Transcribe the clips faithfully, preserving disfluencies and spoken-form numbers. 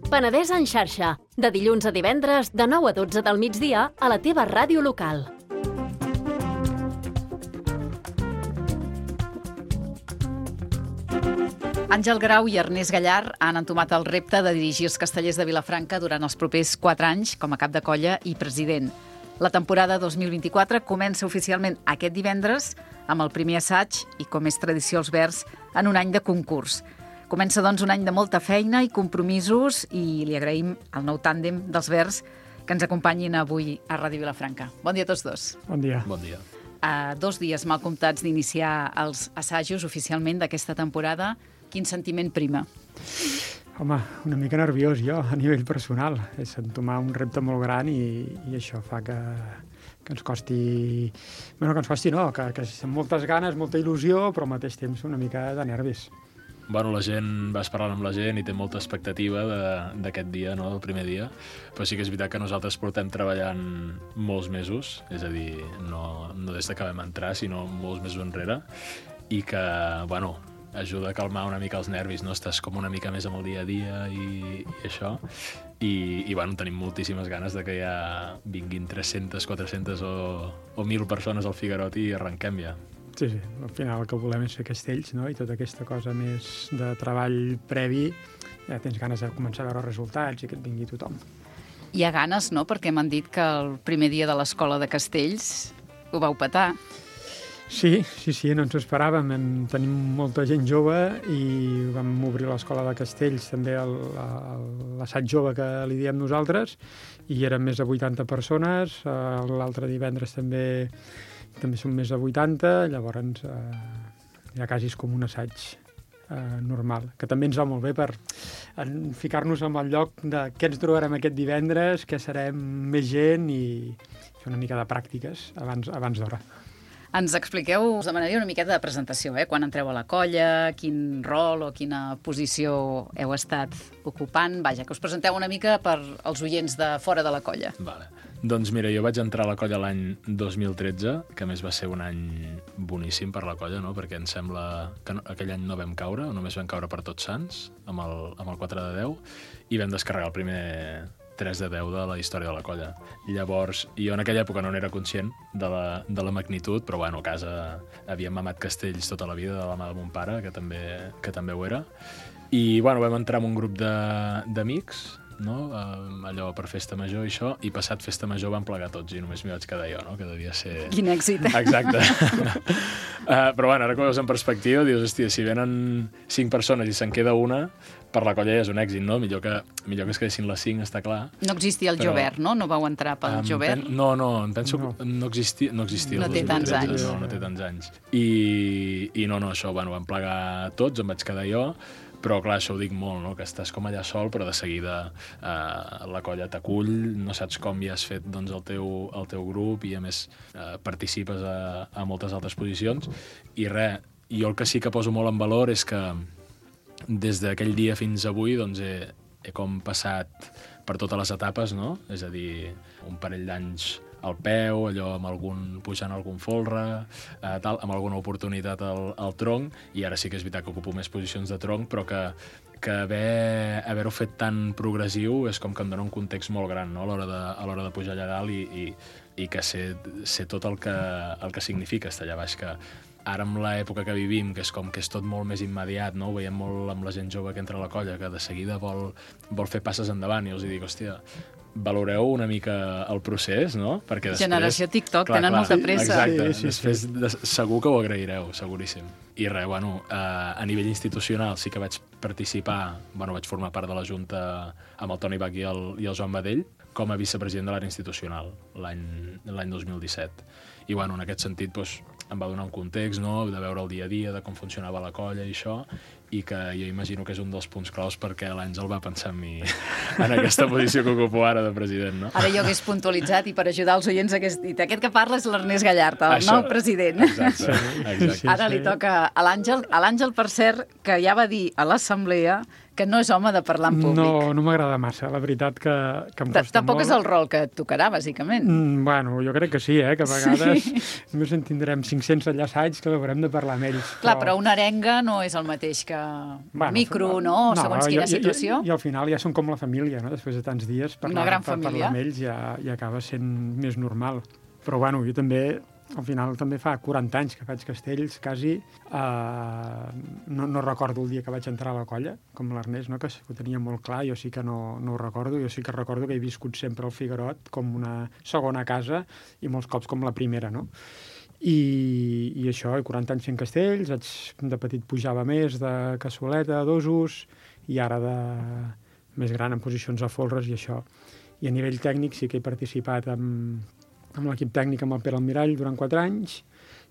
Penedès en xarxa, de dilluns a divendres, de nou a dotze del migdia, a la teva ràdio local. Àngel Grau i Ernest Gallar han entomat el repte de dirigir els Castellers de Vilafranca durant els propers quatre anys com a cap de colla i president. La temporada dos mil vint-i-quatre comença oficialment aquest divendres amb el primer assaig i, com és tradició als Verds, en un any de concurs. Comença, doncs, un any de molta feina i compromisos i li agraïm al nou tàndem dels Verds que ens acompanyin avui a Ràdio Vilafranca. Bon dia a tots dos. Bon dia. Bon dia. A dos dies mal comptats d'iniciar els assajos oficialment d'aquesta temporada, quin sentiment prima? Home, una mica nerviós jo, a nivell personal. És entomar un repte molt gran i, i això fa que, que ens costi... Bueno, que ens costi no, que, que amb moltes ganes, molta il·lusió, però al mateix temps una mica de nervis. Bueno, la gent, vas parlant amb la gent i té molta expectativa d'aquest dia, no?, del primer dia, però sí que és veritat que nosaltres portem treballant molts mesos, és a dir, no, no des que vam entrar, sinó molts mesos enrere, i que, bueno, ajuda a calmar una mica els nervis, no? Estàs com una mica més amb el dia a dia i, i això, i, i bueno, tenim moltíssimes ganes de que ja vinguin tres-centes, quatre-centes o, o mil persones al Figuerot i arrenquem ja. Sí, sí, al final el que volem és fer castells, no?, i tota aquesta cosa més de treball previ, ja tens ganes de començar a veure resultats i que et vingui tothom. Hi ha ganes, no?, perquè m'han dit que el primer dia de l'Escola de Castells ho vau petar. Sí, sí, sí, no ens ho esperàvem. Hem, tenim molta gent jove i vam obrir l'Escola de Castells, també l'assaig jove que li diem nosaltres, i eren més de vuitanta persones. L'altre divendres també també són més de vuitanta, llavors eh, ja quasi és com un assaig eh, normal, que també ens va molt bé per ficar-nos en el lloc de què ens trobarem aquest divendres, què serem més gent i fer una mica de pràctiques abans, abans d'hora. Ens expliqueu, us demanaria una miqueta de presentació, eh? Quan entreu a la colla, quin rol o quina posició heu estat ocupant. Vaja, que us presenteu una mica per als oients de fora de la colla. Vale. Doncs mira, jo vaig entrar a la colla l'any dos mil tretze, que a més va ser un any boníssim per la colla, no?, perquè em sembla que no, aquell any no vam caure, només vam caure per Tots Sants, amb el, amb el quatre de deu, i vam descarregar el primer tres de deu de la història de la colla. Llavors, jo en aquella època no n'era conscient de la, de la magnitud, però bueno, a casa havíem mamat castells tota la vida de la mà de mon pare, que també, que també ho era, i bueno, vam entrar en un grup d'amics, no? Uh, allò per festa major i això, i passat festa major van plegar tots i només m'hi vaig quedar jo, no?, que devia ser... Quin èxit. Exacte. uh, però bueno, ara que ho veus en perspectiva, dius, hòstia, si venen cinc persones i se'n queda una, per la colla ja és un èxit, no? Millor que, millor que es quedessin les cinc, està clar. No existia el però... Jovert, no? No vau entrar pel um, Jovert? Pen... No, no, em penso no. que no existia. No, existia no té tants anys. No, no té tants anys. I, i no, no, això, bueno, van plegar tots, em vaig quedar jo, però clar, això ho dic molt, no?, que estàs com allà sol, però de seguida eh, la colla t'acull, no saps com ja has fet doncs, el, teu, el teu grup i a més eh, participes a, a moltes altres posicions i res, jo el que sí que poso molt en valor és que des d'aquell dia fins avui doncs, he, he com passat per totes les etapes, no?, és a dir, un parell d'anys al peu, allò amb algun pujant algun folre, eh, tal, amb alguna oportunitat al, al tronc, i ara sí que és veritat que ocupo més posicions de tronc, però que, que haver, haver-ho fet tan progressiu és com que em dona un context molt gran, no?, a l'hora de, a l'hora de pujar allà dalt i, i, i que sé, sé tot el que, el que significa estar allà baix, que ara amb l'època que vivim, que és com que és tot molt més immediat, no?, ho veiem molt amb la gent jove que entra a la colla, que de seguida vol, vol fer passes endavant, i els dic, hòstia, valoreu una mica el procés, no? Perquè després... Generació TikTok, clar, tenen clar, molta pressa. Exacte, sí, sí, després sí. De, segur que ho agraireu, seguríssim. I res, bueno, eh, a nivell institucional sí que vaig participar, bueno, vaig formar part de la Junta amb el Toni Bach i el, i el Joan Badell com a vicepresident de l'àrea institucional l'any dos mil disset. I bueno, en aquest sentit doncs, em va donar un context, no?, de veure el dia a dia, de com funcionava la colla i això, i que jo imagino que és un dels punts claus perquè l'Àngel va pensar en mi en aquesta posició que ocupo ara de president, no? Ara jo hagués puntualitzat i per ajudar els oients hagués dit aquest que parla és l'Ernest Gallart, el Això, nou president. Exacte, exacte. Sí, Ara sí. li toca a l'Àngel. A l'Àngel, per cert, que ja va dir a l'assemblea que no és home de parlar en públic. No, no m'agrada massa, la veritat que, que em costa Tampoc molt. és el rol que et tocarà, bàsicament. Mm, bueno, jo crec que sí, eh? Que a vegades sí. Només en tindrem cinc-cents enllaçats que haurem de parlar amb ells. Clar, però una arenga no és el mateix que Bueno, micro, no? no, Segons i- quina i- situació. I, I al final ja són com la família, no? Després de tants dies, parlar, gran par- família. parlar amb ells ja, ja acaba sent més normal. Però bueno, jo també, al final també fa quaranta anys que faig castells, quasi. Uh, no, no recordo el dia que vaig entrar a la colla, com l'Ernest, no? que ho tenia molt clar, jo sí que no, no ho recordo. Jo sí que recordo que he viscut sempre el Figuerot com una segona casa i molts cops com la primera, no? I, i això, i quaranta anys fent castells, vaig, de petit pujava més de cassoleta, dosos, i ara de més gran en posicions a folres i això. I a nivell tècnic sí que he participat amb, amb l'equip tècnic amb el Pere Almirall durant quatre anys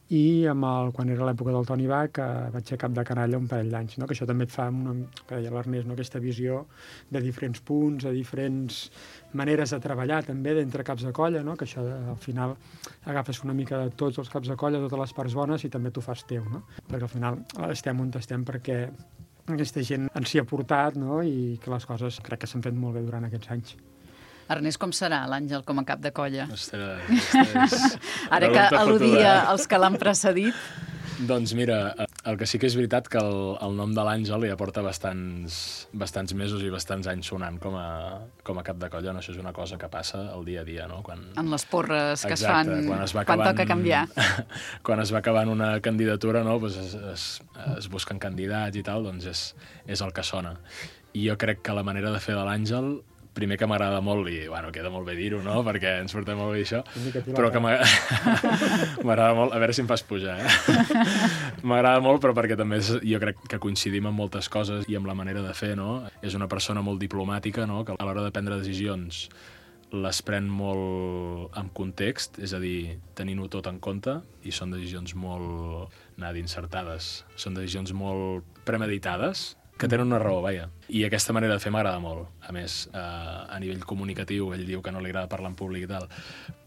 i amb el, quan era l'època del Toni Bach, que vaig ser cap de canalla un parell d'anys, no? Que això també et fa, una, que deia l'Ernest, no? Aquesta visió de diferents punts, de diferents maneres de treballar també d'entre caps de colla, no? Que això al final agafes una mica de tots els caps de colla, totes les parts bones i també t'ho fas teu, no? Perquè al final estem on estem perquè aquesta gent ens hi ha portat, no? I que les coses crec que s'han fet molt bé durant aquests anys. Ernest, com serà l'Àngel com a cap de colla? Ostres, ostres. Ara que Pregunta al·ludia fotuda, eh? els que l'han precedit. Doncs mira, el que sí que és veritat que el, el nom de l'Àngel ja porta bastants, bastants mesos i bastants anys sonant com a, com a cap de colla. No? Això és una cosa que passa el dia a dia, no? Quan... En les porres que Exacte, es fan quan, es va quan acabant, toca canviar. Quan es va acabant una candidatura, no? pues es, es, es busquen candidats i tal, doncs és, és el que sona. I jo crec que la manera de fer de l'Àngel, primer que m'agrada molt, i bueno, queda molt bé dir-ho, no?, perquè ens portem molt bé això, però que m'agrada molt, a veure si em fas pujar, eh? M'agrada molt, però perquè també és, jo crec que coincidim en moltes coses i amb la manera de fer, no? És una persona molt diplomàtica, no?, que a l'hora de prendre decisions les pren molt amb context, és a dir, tenint-ho tot en compte, i són decisions molt, anava a dir, encertades, són decisions molt premeditades, que tenen una raó, vaja. I aquesta manera de fer m'agrada molt. A més, eh, a nivell comunicatiu, ell diu que no li agrada parlar en públic i tal,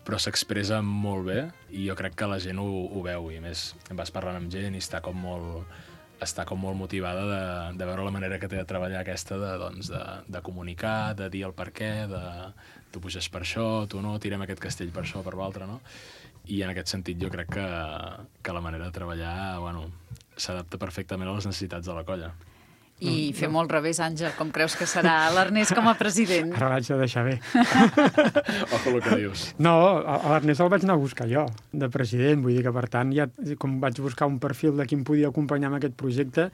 però s'expressa molt bé i jo crec que la gent ho, ho veu. I a més, vas parlant amb gent i està com molt, està com molt motivada de, de veure la manera que té de treballar aquesta de, doncs, de, de comunicar, de dir el per què, de tu puges per això, tu no, tirem aquest castell per això, per l'altre, no? I en aquest sentit jo crec que, que la manera de treballar, bueno, s'adapta perfectament a les necessitats de la colla. I fem molt al revés, Àngel, com creus que serà l'Ernest com a president? Ara l'haig de deixar bé. Ojo el que dius. No, a l'Ernest el vaig anar a buscar jo, de president. Vull dir que, per tant, ja, com vaig buscar un perfil de qui em podia acompanyar en aquest projecte,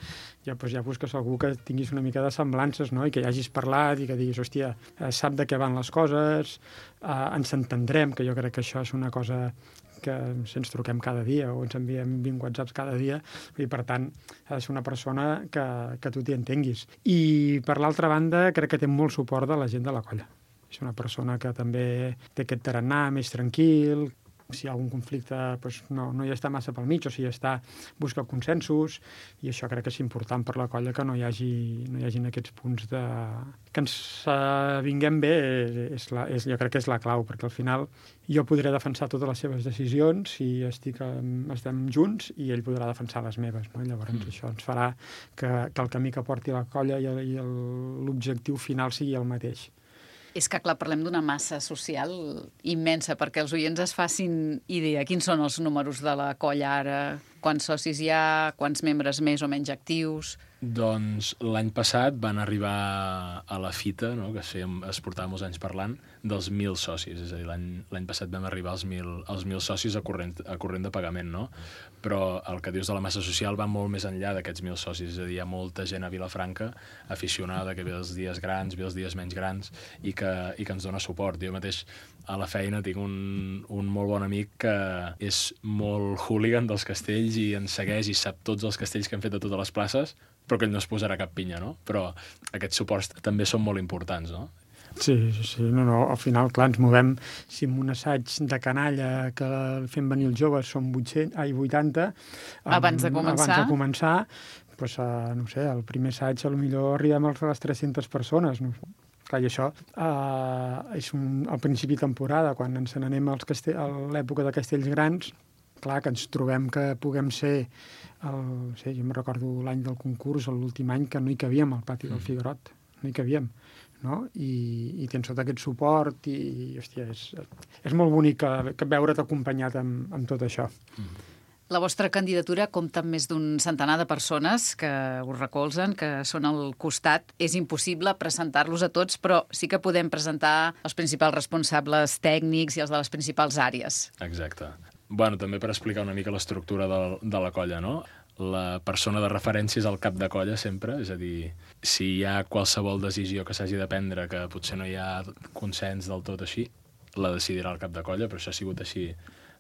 ja, doncs ja busques algú que tinguis una mica de semblances, no?, i que ja hagis parlat i que diguis, hòstia, sap de què van les coses, eh, ens entendrem, que jo crec que això és una cosa que si ens truquem cada dia o ens enviem vint whatsapps cada dia, i per tant ha de ser una persona que, que tu t'hi entenguis. I per l'altra banda crec que té molt suport de la gent de la colla. És una persona que també té aquest tarannà més tranquil, si hi ha algun conflicte doncs no, no hi està massa pel mig, o sigui, està, busca consensos, i això crec que és important per la colla, que no hi hagi, no hi hagin aquests punts de... que ens uh, vinguem bé, és la, és, jo crec que és la clau, perquè al final jo podré defensar totes les seves decisions si estic, estem junts, i ell podrà defensar les meves, no? Llavors mm. això ens farà que, que el camí que porti la colla i, i l'objectiu final sigui el mateix. És que, clar, parlem d'una massa social immensa, perquè els oients es facin idea. Quins són els números de la colla ara? Quants socis hi ha? Quants membres més o menys actius? Doncs l'any passat van arribar a la fita, no?, que fèiem, es portava molts anys parlant, dels mil socis. És a dir, l'any passat vam arribar als mil, als mil socis a corrent, a corrent de pagament, no? Però el que dius de la massa social va molt més enllà d'aquests mil socis. És a dir, hi ha molta gent a Vilafranca aficionada, que ve els dies grans, ve els dies menys grans, i que, i que ens dona suport. Jo mateix a la feina tinc un, un molt bon amic que és molt hooligan dels castells i ens segueix i sap tots els castells que hem fet a totes les places, però que ell no es posarà cap pinya, no? Però aquests suports també són molt importants, no? Sí, sí, sí. No, no, al final, clar, ens movem, si en un assaig de canalla que fem venir els joves són vuitcents, ai, vuitanta... Abans de començar. Abans de començar, pues, uh, no sé, el primer assaig potser arribem a les tres-centes persones, no? Clar, i això uh, és un, al principi de temporada, quan ens n'anem als castell, a l'època de castells grans, clar, que ens trobem que puguem ser, el, sí, jo me recordo l'any del concurs, l'últim any, que no hi cavíem al pati del Figuerot, no hi cavíem, no? I, i tens tot aquest suport i, hòstia, és, és molt bonic que, que veure't acompanyat amb, amb tot això. Mm. La vostra candidatura compta amb més d'un centenar de persones que us recolzen, que són al costat. És impossible presentar-los a tots, però sí que podem presentar els principals responsables tècnics i els de les principals àrees. Exacte. Bueno, també per explicar una mica l'estructura de, de la colla, no? La persona de referència és el cap de colla sempre, és a dir, si hi ha qualsevol decisió que s'hagi de prendre que potser no hi ha consens del tot així, la decidirà el cap de colla, però això ha sigut així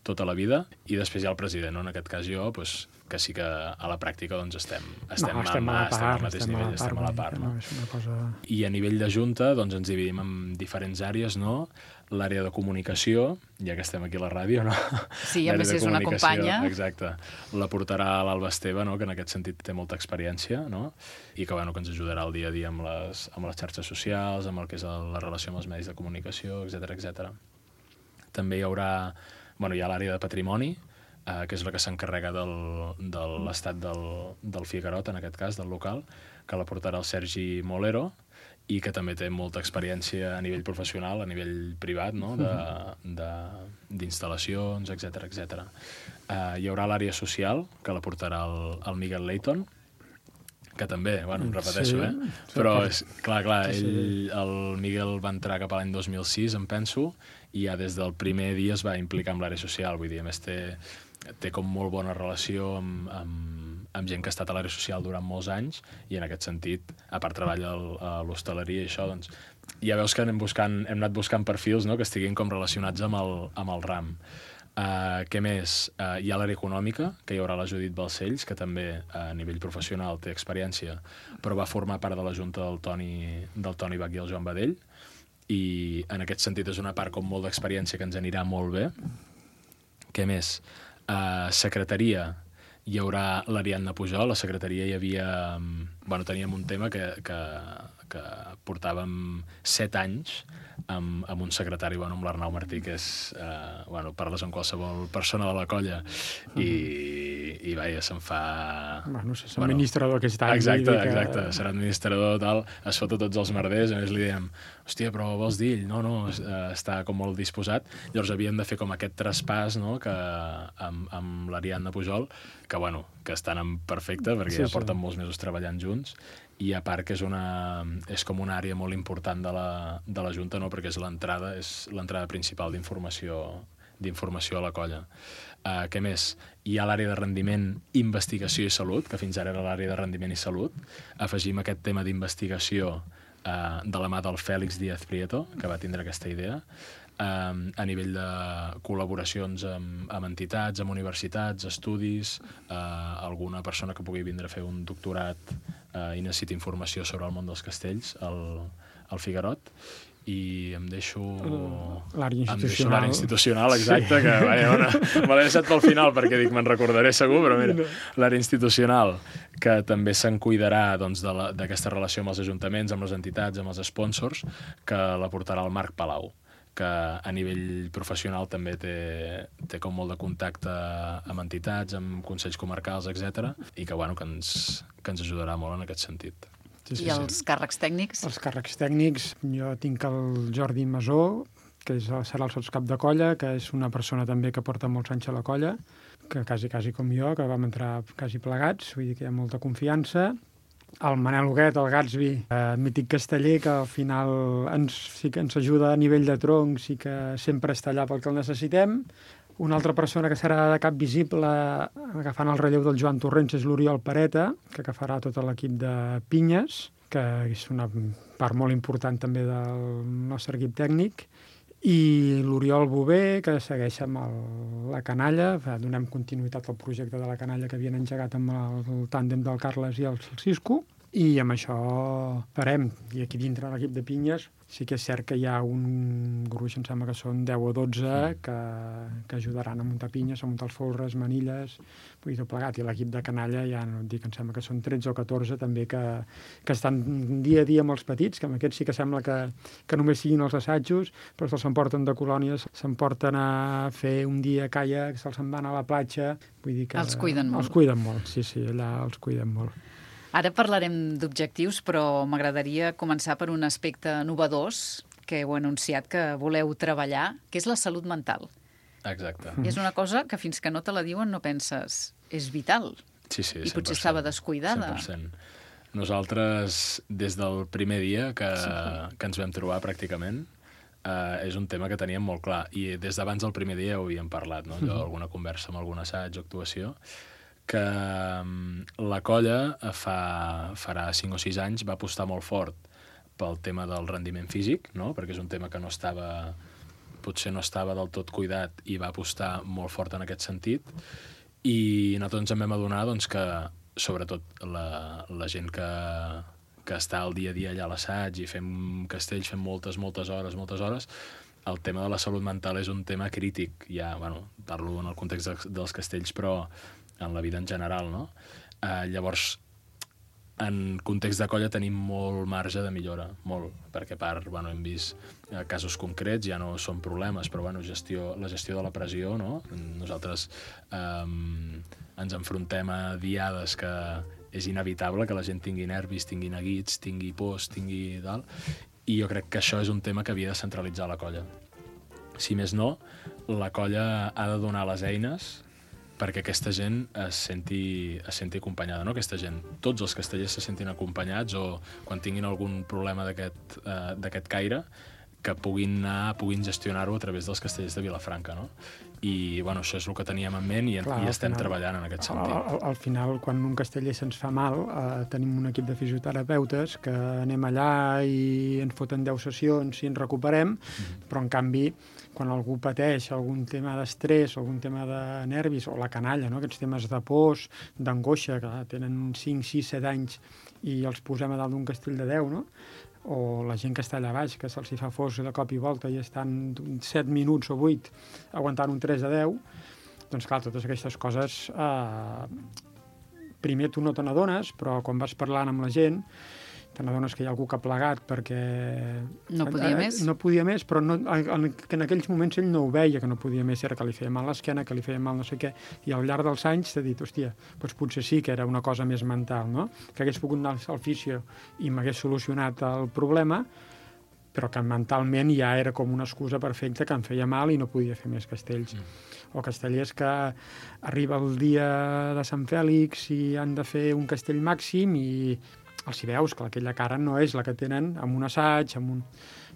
tota la vida, i després hi ha el president, no? En aquest cas jo, pues, que sí que a la pràctica doncs, estem, estem, no, estem, amb, a la part, estem al mateix estem nivell, a la part, estem a la part. No? No, és una cosa... I a nivell de junta doncs, ens dividim en diferents àrees, no? L'àrea de comunicació, ja que estem aquí a la ràdio, no? Sí, a més és una companya. Exacte. La portarà l'Alba Esteve, no? Que en aquest sentit té molta experiència, no? I que, bueno, que ens ajudarà el dia a dia amb les, amb les xarxes socials, amb el que és el, la relació amb els medis de comunicació, etcètera, etcètera. També hi haurà... Bueno, hi ha l'àrea de patrimoni, eh, que és la que s'encarrega del, de l'estat del, del Figuerot, en aquest cas, del local, que la portarà el Sergi Molero, i que també té molta experiència a nivell professional, a nivell privat, no? d'instal·lacions, etcètera, etcètera. Eh, hi haurà l'àrea social, que la portarà el, el Miguel Leighton, que també, bueno, em repeteixo, sí, eh? Però, és, clar, clar, ell, el Miguel va entrar cap a l'any dos mil sis, em penso, i ja des del primer dia es va implicar amb l'àrea social, vull dir, a més té, té com molt bona relació amb, amb, amb gent que ha estat a l'àrea social durant molts anys, i en aquest sentit, a part treballa a l'hostaleria i això, doncs, ja veus que anem, buscant, hem anat buscant perfils, no?, que estiguin com relacionats amb el, amb el RAM. Uh, què més? Uh, hi ha l'àrea econòmica, que hi haurà la Judit Balcells, que també a nivell professional té experiència, però va formar part de la junta del Toni, del Toni Bach i el Joan Badell, i en aquest sentit és una part com molt d'experiència que ens anirà molt bé. Què més? Uh, secretaria, hi haurà l'Ariadna Pujol. La secretaria hi havia... Bueno, teníem un tema que, que, que portàvem set anys amb, amb un secretari, bueno, amb l'Arnau Martí, que és... Eh, bueno, parles amb qualsevol persona de la colla i, i vaja, se'n fa... Bueno, és bueno, administrador aquest any. Exacte, que... exacte. Serà administrador, tal, es fota tots els merders, a més li diem, hòstia, però vols dir ell? No, no, està com molt disposat. Llavors havíem de fer com aquest traspàs, no?, que, amb, amb l'Ariadna Pujol, que, bueno, que estan en perfecte, perquè sí, ja porten sí. molts mesos treballant junts, i a part que és, una, és com una àrea molt important de la, de la Junta, no?, perquè és l'entrada, és l'entrada principal d'informació d'informació a la colla. Uh, què més? Hi ha l'àrea de rendiment, investigació i salut, que fins ara era l'àrea de rendiment i salut. Afegim aquest tema d'investigació uh, de la mà del Fèlix Díaz Prieto, que va tindre aquesta idea, um, a nivell de col·laboracions amb, amb entitats, amb universitats, estudis, uh, alguna persona que pugui vindre a fer un doctorat uh, i necessiti informació sobre el món dels castells, al, al Figuerot, i em deixo... L'àrea institucional. Em deixo l'àrea institucional, exacte, sí. que vaja, bueno, me l'he deixat pel final perquè dic, me'n recordaré segur, però mira, l'àrea institucional, que també se'n cuidarà doncs, d'aquesta relació amb els ajuntaments, amb les entitats, amb els sponsors, que la portarà el Marc Palau, que a nivell professional també té, té com molt de contacte amb entitats, amb consells comarcals, etcètera, i que, bueno, que, ens, que ens ajudarà molt en aquest sentit. Sí, sí, I els sí. càrrecs tècnics? Els càrrecs tècnics, jo tinc el Jordi Masó, que és, serà el sotscap de colla, que és una persona també que porta molts anys a la colla, que quasi, quasi com jo, que vam entrar quasi plegats, vull dir que hi ha molta confiança. El Manel Huguet, el Gatsby, eh, mític casteller, que al final ens, sí que ens ajuda a nivell de troncs i que sempre està allà pel que el necessitem. Una altra persona que serà de cap visible agafant el relleu del Joan Torrents és l'Oriol Pareta, que agafarà tot l'equip de pinyes, que és una part molt important també del nostre equip tècnic, i l'Oriol Bové, que segueix amb el, la canalla. Donem continuïtat al projecte de la canalla que havien engegat amb el, el tàndem del Carles i el Cisco. i amb això farem. I aquí dintre l'equip de pinyes sí que és cert que hi ha un gruix, em sembla que són deu o dotze, que, que ajudaran a muntar pinyes, a muntar els folres, manilles, vull dir, tot plegat. I l'equip de canalla, ja no et dic, em sembla que són tretze o catorze també, que, que estan dia a dia amb els petits, que amb aquests sí que sembla que, que només siguin els assajos, però se'ls emporten de colònies, s'emporten a fer un dia caiac, se'ls en van a la platja, vull dir que... Els cuiden molt. Els cuiden molt, sí, sí, allà els cuiden molt. Ara parlarem d'objectius, però m'agradaria començar per un aspecte novedós que heu anunciat que voleu treballar, que és la salut mental. Exacte. Mm. És una cosa que fins que no te la diuen no penses, és vital. Sí, sí, I potser estava descuidada. cent per cent. Nosaltres, des del primer dia que, que ens vam trobar pràcticament, eh, és un tema que teníem molt clar. I des d'abans del primer dia ho havíem parlat, no? Allò, alguna conversa amb algun assaig o actuació, que la colla fa, farà cinc o sis anys va apostar molt fort pel tema del rendiment físic, no? Perquè és un tema que no estava, potser no estava del tot cuidat i va apostar molt fort en aquest sentit. I nosaltres ens en vam adonar doncs, que, sobretot, la, la gent que, que està al dia a dia allà a l'assaig i fem castells, fem moltes, moltes hores, moltes hores, el tema de la salut mental és un tema crític. Ja, bueno, parlo en el context de, dels castells, però en la vida en general, no? Eh, llavors, en context de colla tenim molt marge de millora, molt, perquè a part, bueno, hem vist eh, casos concrets, ja no són problemes, però bueno, gestió, la gestió de la pressió, no? Nosaltres eh, ens enfrontem a diades que és inevitable que la gent tingui nervis, tingui neguits, tingui pors, tingui tal, i jo crec que això és un tema que havia de centralitzar la colla. Si més no, la colla ha de donar les eines perquè aquesta gent es senti, es senti acompanyada, no? Aquesta gent, tots els castellers se sentin acompanyats o quan tinguin algun problema d'aquest eh, d'aquest caire, que puguin anar, puguin gestionar-ho a través dels castellers de Vilafranca, no? I, bueno, això és el que teníem en ment i, Clar, i estem final, treballant en aquest sentit. Al, al, al final, quan un casteller se'ns fa mal, eh, tenim un equip de fisioterapeutes que anem allà i ens foten deu sessions i ens recuperem, mm-hmm. però, en canvi, quan algú pateix algun tema d'estrès, algun tema de nervis, o la canalla, no? Aquests temes de pors, d'angoixa, que tenen cinc, sis, set anys i els posem a dalt d'un castell de deu, no? O la gent que està allà baix, que se'ls fa fos de cop i volta i estan set minuts o vuit aguantant un tres a deu, doncs clar, totes aquestes coses eh, primer tu no te n'adones, però quan vas parlant amb la gent te n'adones que hi ha algú que ha plegat perquè... No podia eh, més? No podia més, però no, en, que en aquells moments ell no ho veia, que no podia més, era que li feia mal l'esquena, que li feia mal no sé què, i al llarg dels anys t'ha dit, hòstia, doncs potser sí que era una cosa més mental, no? Que hagués pogut anar al fisio i m'hagués solucionat el problema, però que mentalment ja era com una excusa perfecta que em feia mal i no podia fer més castells. Mm. O castellers que arriba el dia de Sant Fèlix i han de fer un castell màxim i els hi veus que aquella cara no és la que tenen amb un assaig, amb un...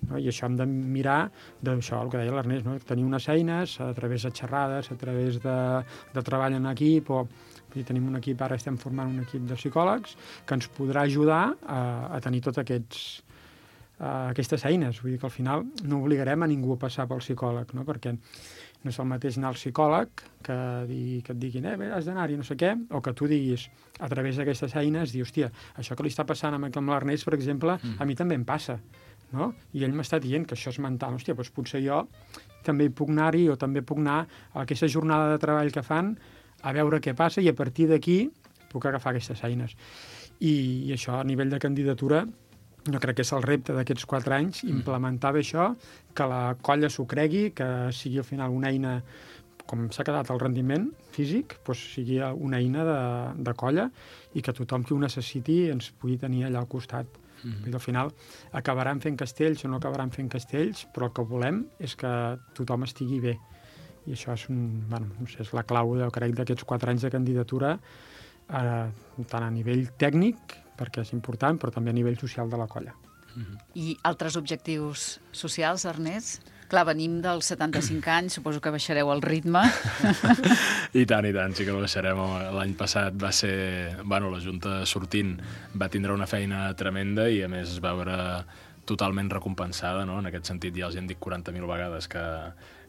No? I això hem de mirar d'això, el que deia l'Ernest, no? Tenir unes eines a través de xerrades, a través de, de treball en equip, o i tenim un equip, ara estem formant un equip de psicòlegs que ens podrà ajudar a, a tenir tots aquests Uh, aquestes eines. Vull dir que al final no obligarem a ningú a passar pel psicòleg, no? Perquè no és el mateix anar al psicòleg que, di, que et diguin, eh, bé, has d'anar-hi, no sé què, o que tu diguis a través d'aquestes eines, dir, hòstia, això que li està passant amb, amb l'Ernest, per exemple, mm. a mi també em passa, no? I ell m'està dient que això és mental. Hòstia, doncs potser jo també hi puc anar-hi o també puc anar a aquesta jornada de treball que fan a veure què passa i a partir d'aquí puc agafar aquestes eines. I, i això a nivell de candidatura jo crec que és el repte d'aquests quatre anys, implementar bé això, que la colla s'ho cregui, que sigui al final una eina, com s'ha quedat el rendiment físic, doncs sigui una eina de, de colla i que tothom que ho necessiti ens pugui tenir allà al costat. Mm-hmm. I al final acabaran fent castells o no acabaran fent castells, però el que volem és que tothom estigui bé. I això és, un, bueno, no sé, és la clau, jo crec, d'aquests quatre anys de candidatura, eh, tant a nivell tècnic, perquè és important, però també a nivell social de la colla. Mm-hmm. I altres objectius socials, Ernest? Clar, venim dels setanta-cinc anys, suposo que baixareu el ritme. I tant, i tant, sí que el baixarem. L'any passat va ser... Bueno, la Junta sortint va tindre una feina tremenda i, a més, es va veure totalment recompensada, no? En aquest sentit, ja els hem dit quaranta mil vegades que,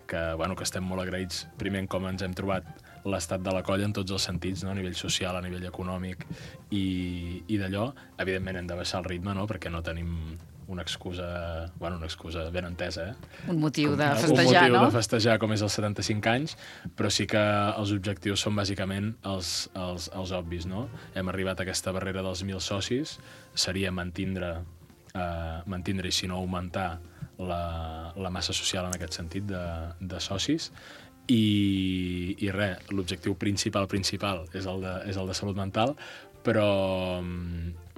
que, bueno, que estem molt agraïts, primer, com ens hem trobat l'estat de la colla en tots els sentits, no? A nivell social, a nivell econòmic i, i d'allò. Evidentment hem de baixar el ritme, no? Perquè no tenim una excusa, bueno, una excusa ben entesa, eh? Un motiu de com, festejar, un motiu no? de festejar com és els setanta-cinc anys, però sí que els objectius són bàsicament els, els, els obvis, no? Hem arribat a aquesta barrera dels mil socis, seria mantindre, eh, mantindre i si no augmentar la, la massa social en aquest sentit de, de socis, i, i res, l'objectiu principal principal és el de, és el de salut mental, però,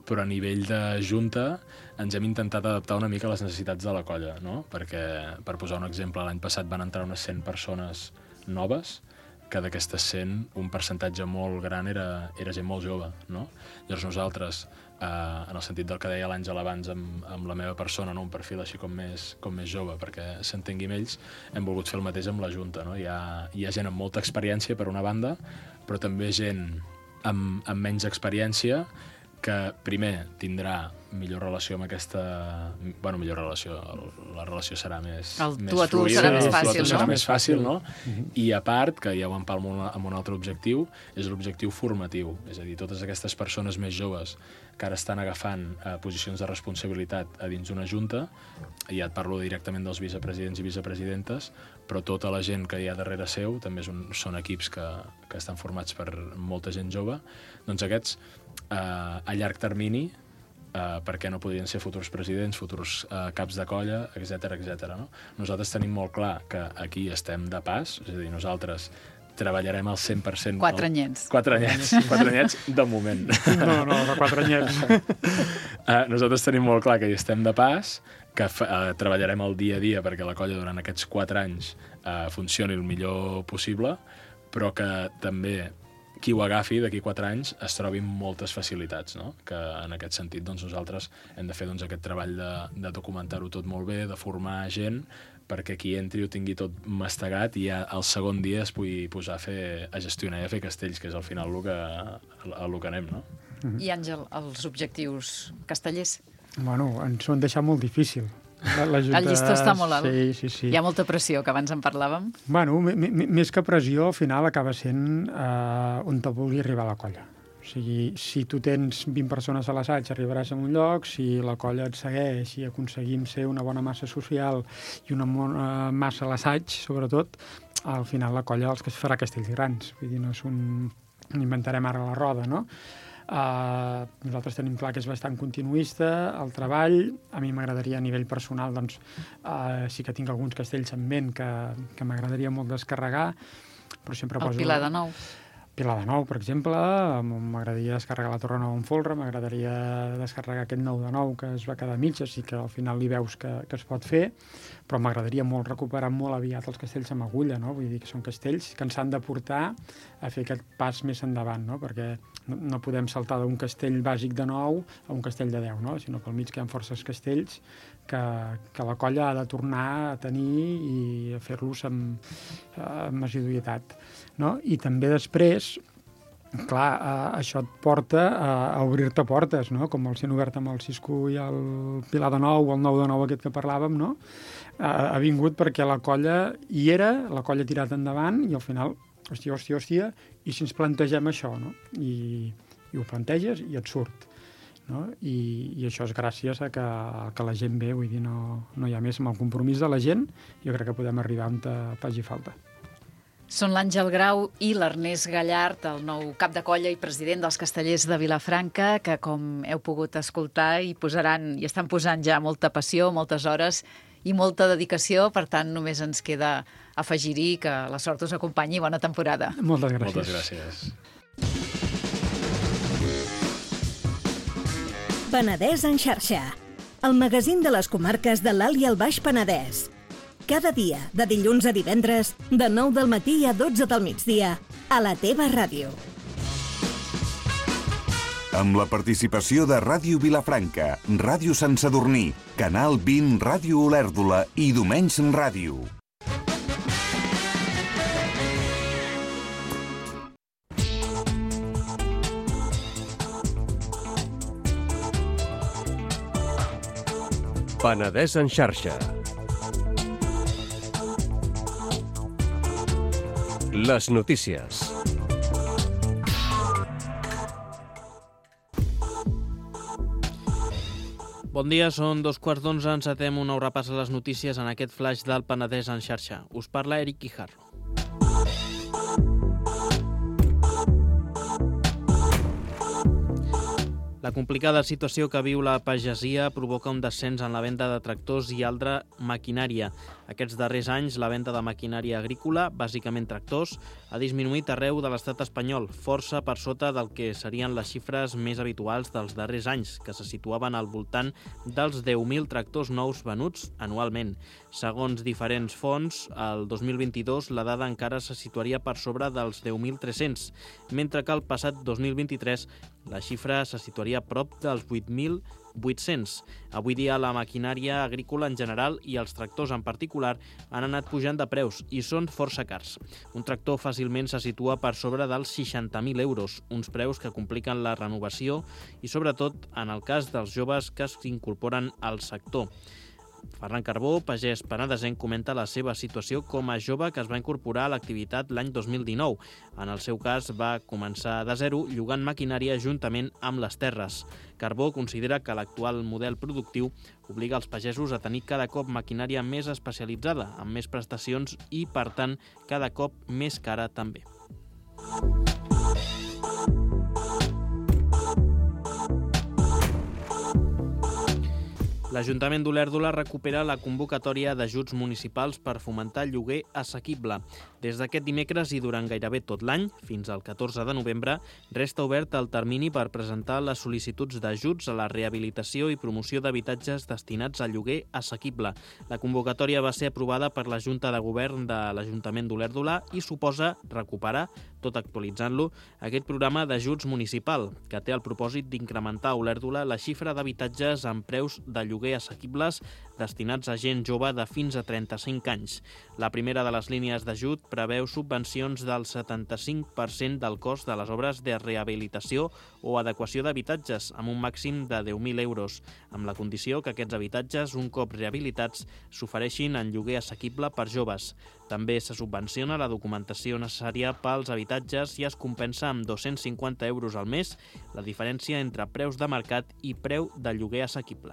però a nivell de junta ens hem intentat adaptar una mica a les necessitats de la colla, no? Perquè, per posar un exemple, l'any passat van entrar unes cent persones noves, que d'aquestes cent un percentatge molt gran era, era gent molt jove, no? Llavors nosaltres, eh, en el sentit del que deia l'Àngel abans amb, amb la meva persona, no? Un perfil així com més, com més jove, perquè s'entengui amb ells, hem volgut fer el mateix amb la Junta, no? Hi ha, hi ha gent amb molta experiència, per una banda, però també gent amb, amb menys experiència, que primer tindrà millor relació amb aquesta... Bueno, millor relació, la relació serà més, el més tu a tu fluida, serà més el tu a tu fàcil, serà no? més fàcil, no? Mm-hmm. I a part, que ja ho empalmo amb un altre objectiu, és l'objectiu formatiu. És a dir, totes aquestes persones més joves que ara estan agafant eh, posicions de responsabilitat a dins d'una junta, i ja et parlo directament dels vicepresidents i vicepresidentes, però tota la gent que hi ha darrere seu, també és un, són equips que, que estan formats per molta gent jove, doncs aquests, eh, a llarg termini, Uh, perquè no podrien ser futurs presidents, futurs uh, caps de colla, etcètera, etcètera. No? Nosaltres tenim molt clar que aquí estem de pas, és a dir, nosaltres treballarem al cent per cent... Quatre anyets. Quatre anyets, quatre anyets de moment. No, no, de quatre anyets. uh, nosaltres tenim molt clar que hi estem de pas, que uh, treballarem el dia a dia perquè la colla durant aquests quatre anys uh, funcioni el millor possible, però que també qui ho agafi d'aquí quatre anys es trobi amb moltes facilitats, no? Que en aquest sentit doncs, nosaltres hem de fer doncs, aquest treball de, de documentar-ho tot molt bé, de formar gent, perquè qui entri ho tingui tot mastegat i ja el segon dia es pugui posar a, fer, a gestionar i a fer castells, que és al final el que, el que anem, no? I Àngel, els objectius castellers? Bueno, ens ho han deixat molt difícil. La, la junta... El llistó està molt alt. Sí, sí, sí. Hi ha molta pressió, que abans en parlàvem. Bueno, més que pressió, al final acaba sent eh, on te vulgui arribar la colla. O sigui, si tu tens vint persones a l'assaig, arribaràs a un lloc, si la colla et segueix i aconseguim ser una bona massa social i una bona massa a l'assaig, sobretot, al final la colla els que es farà castells grans. Vull dir, no és un... inventarem ara la roda, no? Uh, nosaltres tenim clar que és bastant continuista el treball. A mi m'agradaria a nivell personal, doncs uh, sí que tinc alguns castells en ment que, que m'agradaria molt descarregar, però sempre el poso... Pilar de Nou. Pilar de Nou, per exemple, m'agradaria descarregar la Torre Nou en folre, m'agradaria descarregar aquest Nou de Nou que es va quedar a mitges i que al final li veus que, que es pot fer, però m'agradaria molt recuperar molt aviat els castells amb agulla, no? Vull dir que són castells que ens han de portar a fer aquest pas més endavant, no? Perquè no, no podem saltar d'un castell bàsic de nou a un castell de deu, no? Sinó pel mig que hi ha forces castells que, que la colla ha de tornar a tenir i a fer-los amb, amb assiduïtat, no? I també després, clar, eh, això et porta a, a obrir-te portes, no? Com els han obert amb el Cisco i el Pilar de Nou, o el Nou de Nou aquest que parlàvem, no? Eh, ha vingut perquè la colla hi era, la colla ha tirat endavant i al final, hòstia, hòstia, hòstia, i si ens plantegem això, no? I, i ho planteges i et surt, no? I, i això és gràcies a que, a que la gent ve, vull dir, no, no hi ha més. Amb el compromís de la gent, jo crec que podem arribar on te faci falta. Són l'Àngel Grau i l'Ernest Gallard, el nou cap de colla i president dels Castellers de Vilafranca, que, com heu pogut escoltar, hi posaran, i estan posant ja molta passió, moltes hores i molta dedicació. Per tant, només ens queda afegir-hi que la sort us acompanyi. Bona temporada. Moltes gràcies. Moltes gràcies. Penedès en xarxa, el magazín de les comarques de l'Alt i el Baix Penedès. Cada dia, de dilluns a divendres, de nou del matí a dotze del migdia, a la teva ràdio. Amb la participació de Ràdio Vilafranca, Ràdio Sant Sadurní, Canal vint, Ràdio Olèrdola i Domenys Ràdio. Penedès en xarxa. Les notícies. Bon dia, són dos quarts d'onze, encetem un nou repàs a les notícies en aquest flash del Penedès en xarxa. Us parla Eric Quijarro. La complicada situació que viu la pagesia provoca un descens en la venda de tractors i altra maquinària. Aquests darrers anys, la venda de maquinària agrícola, bàsicament tractors, ha disminuït arreu de l'estat espanyol, força per sota del que serien les xifres més habituals dels darrers anys, que se situaven al voltant dels deu mil tractors nous venuts anualment. Segons diferents fonts, el dos mil vint-i-dos la dada encara se situaria per sobre dels deu mil tres-cents, mentre que el passat dos mil vint-i-tres la xifra se situaria a prop dels vuit mil vuit-cents. Avui dia la maquinària agrícola en general i els tractors en particular han anat pujant de preus i són força cars. Un tractor fàcilment se situa per sobre dels seixanta mil euros, uns preus que compliquen la renovació i sobretot en el cas dels joves que s'incorporen al sector. Ferran Carbó, pagès penedesenc, comenta la seva situació com a jove que es va incorporar a l'activitat l'any dos mil dinou. En el seu cas, va començar de zero llogant maquinària juntament amb les terres. Carbó considera que l'actual model productiu obliga els pagesos a tenir cada cop maquinària més especialitzada, amb més prestacions i, per tant, cada cop més cara també. L'Ajuntament d'Olèrdola recupera la convocatòria d'ajuts municipals per fomentar el lloguer assequible. Des d'aquest dimecres i durant gairebé tot l'any, fins al catorze de novembre, resta obert el termini per presentar les sol·licituds d'ajuts a la rehabilitació i promoció d'habitatges destinats al lloguer assequible. La convocatòria va ser aprovada per la Junta de Govern de l'Ajuntament d'Olèrdola i suposa recuperar, tot actualitzant-lo, aquest programa d'ajuts municipal, que té el propòsit d'incrementar a Olèrdola la xifra d'habitatges amb preus de lloguer assequibles destinats a gent jove de fins a trenta-cinc anys. La primera de les línies d'ajut preveu subvencions del setanta-cinc per cent del cost de les obres de rehabilitació o adequació d'habitatges, amb un màxim de deu mil euros, amb la condició que aquests habitatges, un cop rehabilitats, s'ofereixin en lloguer assequible per joves. També se subvenciona la documentació necessària pels habitatges i es compensa amb dos-cents cinquanta euros al mes la diferència entre preus de mercat i preu de lloguer assequible.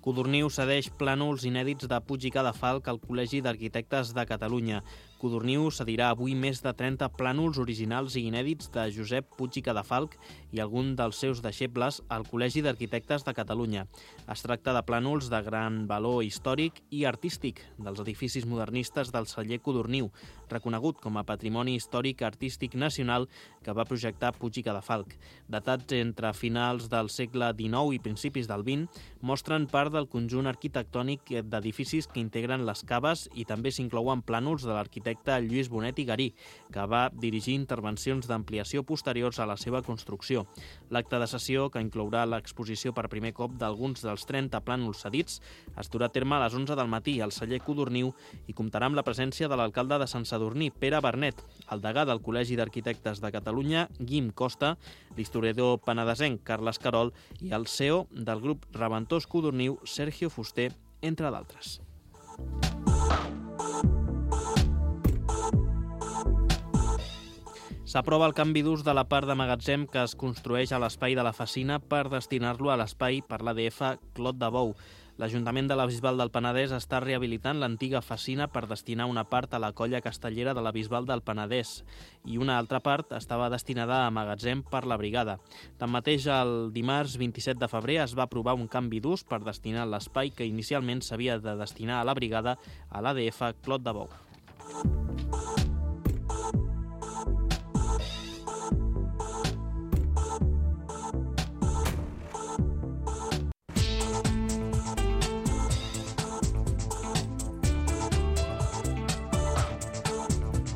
Codorniu cedeix plànols inèdits de Puig i Cadafalch al Col·legi d'Arquitectes de Catalunya. Codorniu cedirà avui més de trenta plànols originals i inèdits de Josep Puig i Cadafalch i algun dels seus deixebles al Col·legi d'Arquitectes de Catalunya. Es tracta de plànols de gran valor històric i artístic dels edificis modernistes del celler Codorniu, reconegut com a Patrimoni Històric Artístic Nacional que va projectar Puig i Cadafalch. Datats entre finals del segle dinou i principis del vint, mostren part del conjunt arquitectònic d'edificis que integren les caves i també s'inclouen plànols de l'arquitecte Lluís Bonet i Garí, que va dirigir intervencions d'ampliació posteriors a la seva construcció. L'acte de sessió, que inclourà l'exposició per primer cop d'alguns dels trenta plànols cedits, es durà a terme a les onze del matí al celler Codorniu i comptarà amb la presència de l'alcalde de Sant Sadurní, Pere Bernet, el degà del Col·legi d'Arquitectes de Catalunya, Guim Costa, l'historiador penedesenc Carles Carol i el C E O del grup Reventós Codorniu, Sergio Fuster, entre d'altres. S'aprova el canvi d'ús de la part de magatzem que es construeix a l'espai de la Facina per destinar-lo a l'espai per l'A D F Clot de Bou. L'Ajuntament de la Bisbal del Penedès està rehabilitant l'antiga Facina per destinar una part a la colla castellera de la Bisbal del Penedès i una altra part estava destinada a magatzem per la brigada. Tanmateix, el dimarts vint-i-set de febrer es va aprovar un canvi d'ús per destinar l'espai que inicialment s'havia de destinar a la brigada a l'A D F Clot de Bou.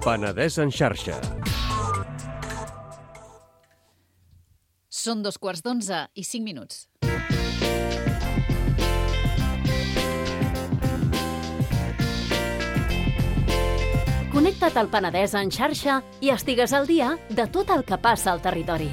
Penedès en xarxa. Són dos quarts d'onze i cinc minuts. Connecta't al Penedès en xarxa i estigues al dia de tot el que passa al territori.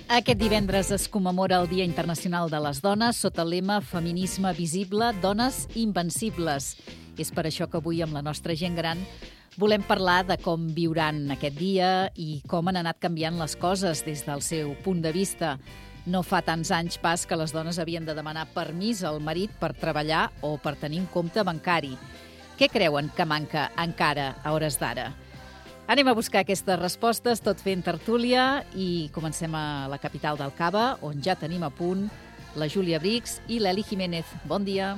Aquest divendres es commemora el Dia Internacional de les Dones sota el lema Feminisme visible, dones invencibles. És per això que avui, amb la nostra gent gran, volem parlar de com viuran aquest dia i com han anat canviant les coses des del seu punt de vista. No fa tants anys pas que les dones havien de demanar permís al marit per treballar o per tenir un compte bancari. Què creuen que manca encara a hores d'ara? Anem a buscar aquestes respostes, tot fent tertúlia, i comencem a la capital del Cava, on ja tenim a punt la Júlia Brix i l'Eli Jiménez. Bon dia.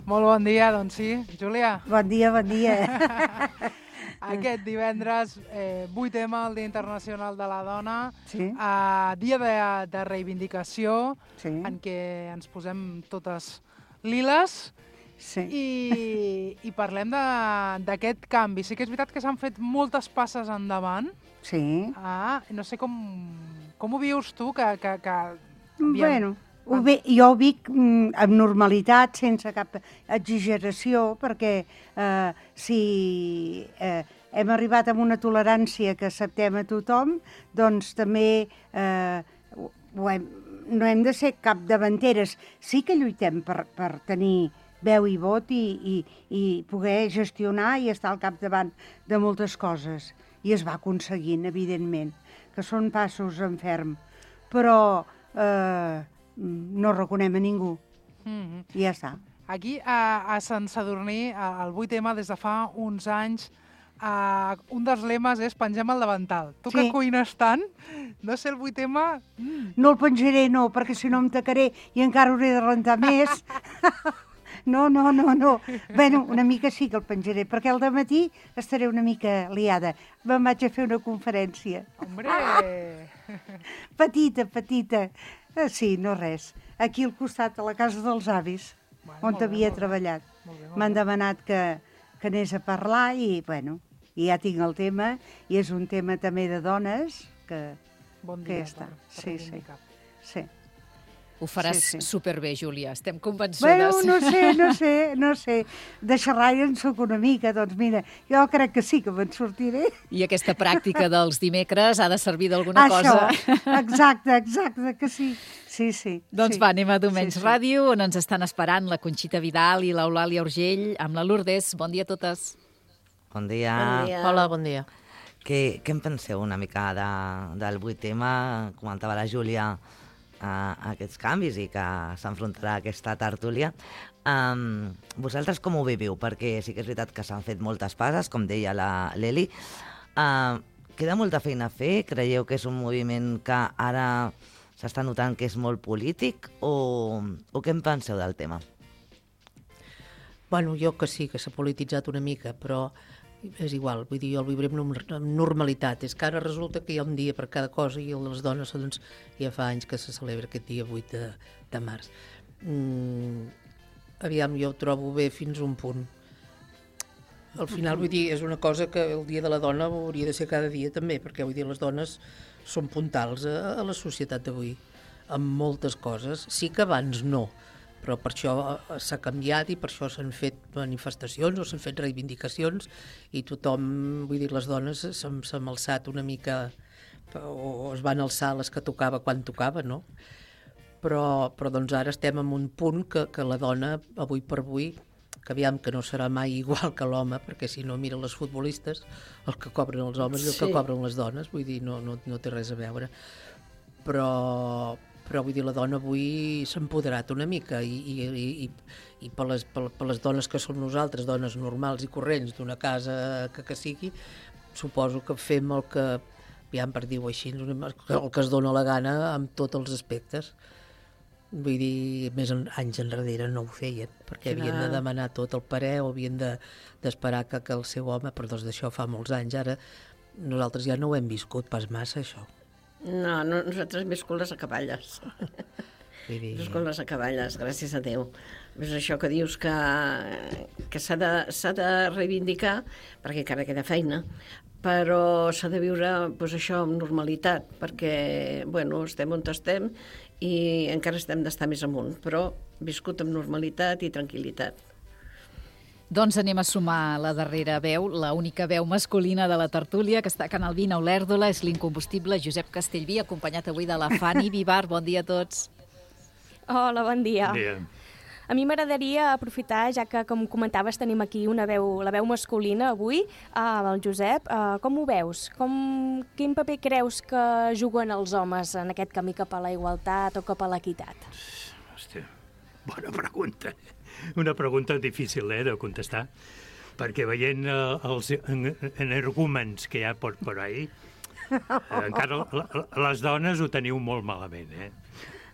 Molt bon dia, doncs sí. Júlia. Bon dia, bon dia. Aquest divendres, eh, vuit ema, el Dia Internacional de la Dona, Sí. eh, dia de, de reivindicació, Sí. en què ens posem totes liles Sí. i, i parlem de- d'aquest canvi. Sí que és veritat que s'han fet moltes passes endavant. Sí. Ah, no sé com, com ho vius tu, que... que, que Bueno, ho ve, jo ho vic mm, amb normalitat, sense cap exageració, perquè eh, si eh, hem arribat a una tolerància que acceptem a tothom, doncs també eh, ho- ho hem, no hem de ser capdavanteres. Sí que lluitem per, per tenir veu i vot i, i, i poder gestionar i estar al capdavant de moltes coses. I es va aconseguint, evidentment, que són passos en ferm. Però eh, no reconem a ningú. Mm-hmm. I ja està. Aquí, a, a Sant Sadurní, a- al vuit ema, des de fa uns anys, a, un dels lemes és pengem el davantal. Tu que Sí. cuines tant, no sé, el vuit ema... Mm. No el penjaré, no, perquè si no em tacaré i encara hauré de rentar més. No, no, no, no. Bueno, una mica sí que el penjaré, perquè al dematí estaré una mica liada. Me'n vaig a fer una conferència. Hombre! Petita, petita. Eh, Sí, no res. Aquí al costat, a la casa dels avis, Bueno, on molt bé, havia molt bé. treballat. Molt bé, molt M'han bé. demanat que, que anés a parlar i, bueno, i ja tinc el tema, i és un tema també de dones que, Bon que dia ja està. per, per Sí, sí. reivindicar. Sí. Ho faràs Sí, sí. superbé, Júlia. Estem convençudes. Bueno, no sé, no sé, no sé. De xerrar ja en soc una mica, doncs mira, jo crec que sí que me'n sortiré. I aquesta pràctica dels dimecres ha de servir d'alguna Això, cosa. exacte, exacte, que sí. Sí, sí. Doncs sí. va, anem a Domenys Sí, sí. Ràdio, on ens estan esperant la Conxita Vidal i l'Eulàlia Urgell amb la Lourdes. Bon dia a totes. Bon dia. Bon dia. Hola, bon dia. Què, què en penseu una mica de, del vuit ema? Comentava la Júlia uh, aquests canvis i que s'enfrontarà a aquesta tertúlia. Um, vosaltres com ho viviu? Perquè sí que és veritat que s'han fet moltes passes, com deia la l'Eli. Uh, queda molta feina a fer? Creieu que és un moviment que ara s'està notant que és molt polític? O, o què en penseu del tema? Bueno, jo que sí, que s'ha polititzat una mica, però és igual, vull dir, jo el viuré amb norm- amb normalitat. És que ara resulta que hi ha un dia per cada cosa i el de les dones, doncs, ja fa anys que se celebra aquest dia vuit de, de març. Mm, aviam, jo ho trobo bé fins a un punt. Al final, vull dir, és una cosa que el dia de la dona hauria de ser cada dia també, perquè vull dir, les dones són puntals a, a la societat d'avui, amb moltes coses. Sí que abans no, però per això eh, s'ha canviat i per això s'han fet manifestacions o s'han fet reivindicacions i tothom, vull dir, les dones s'han s'han alçat una mica o es van alçar les que tocava quan tocava, no? Però, però doncs ara estem en un punt que, que la dona, avui per avui, que aviam que no serà mai igual que l'home, perquè si no mira les futbolistes, el que cobren els homes i el que Sí. cobren les dones, vull dir, no, no, no té res a veure. Però, però vull dir, la dona avui s'ha empoderat una mica i, i, i, i, i per, les, per, per les dones que som nosaltres, dones normals i corrents d'una casa que, que sigui, suposo que fem el que, aviam per dir-ho així, el que es dona la gana amb tots els aspectes. Vull dir, més en, anys enrere no ho feien, perquè Clar. havien de demanar tot el parer o havien de- d'esperar que, que el seu home, però doncs d'això fa molts anys, ara nosaltres ja no ho hem viscut pas massa, això. No, no, nosaltres hem viscut les acaballes. Vull dir... Hem viscut les acaballes, gràcies a Déu. És això que dius que, que s'ha de, s'ha de reivindicar, perquè encara queda feina, però s'ha de viure doncs, això amb normalitat, perquè bueno, estem on estem i encara estem d'estar més amunt, però viscut amb normalitat i tranquil·litat. Doncs anem a sumar la darrera veu, la única veu masculina de la tertúlia, que està a Canal vint a Olèrdola, és l'incombustible Josep Castellví, acompanyat avui de la Fanny Vivar. Bon dia a tots. Hola, bon dia. Bon dia. A mi m'agradaria aprofitar, ja que, com comentaves, tenim aquí una veu, la veu masculina avui, uh, el Josep. Uh, com ho veus? Com, quin paper creus que juguen els homes en aquest camí cap a la igualtat o cap a l'equitat? Hòstia, bona pregunta. Una pregunta difícil, eh, de contestar, perquè veient uh, els energúmens que hi ha per, per ahí, uh, encara les dones ho teniu molt malament, eh?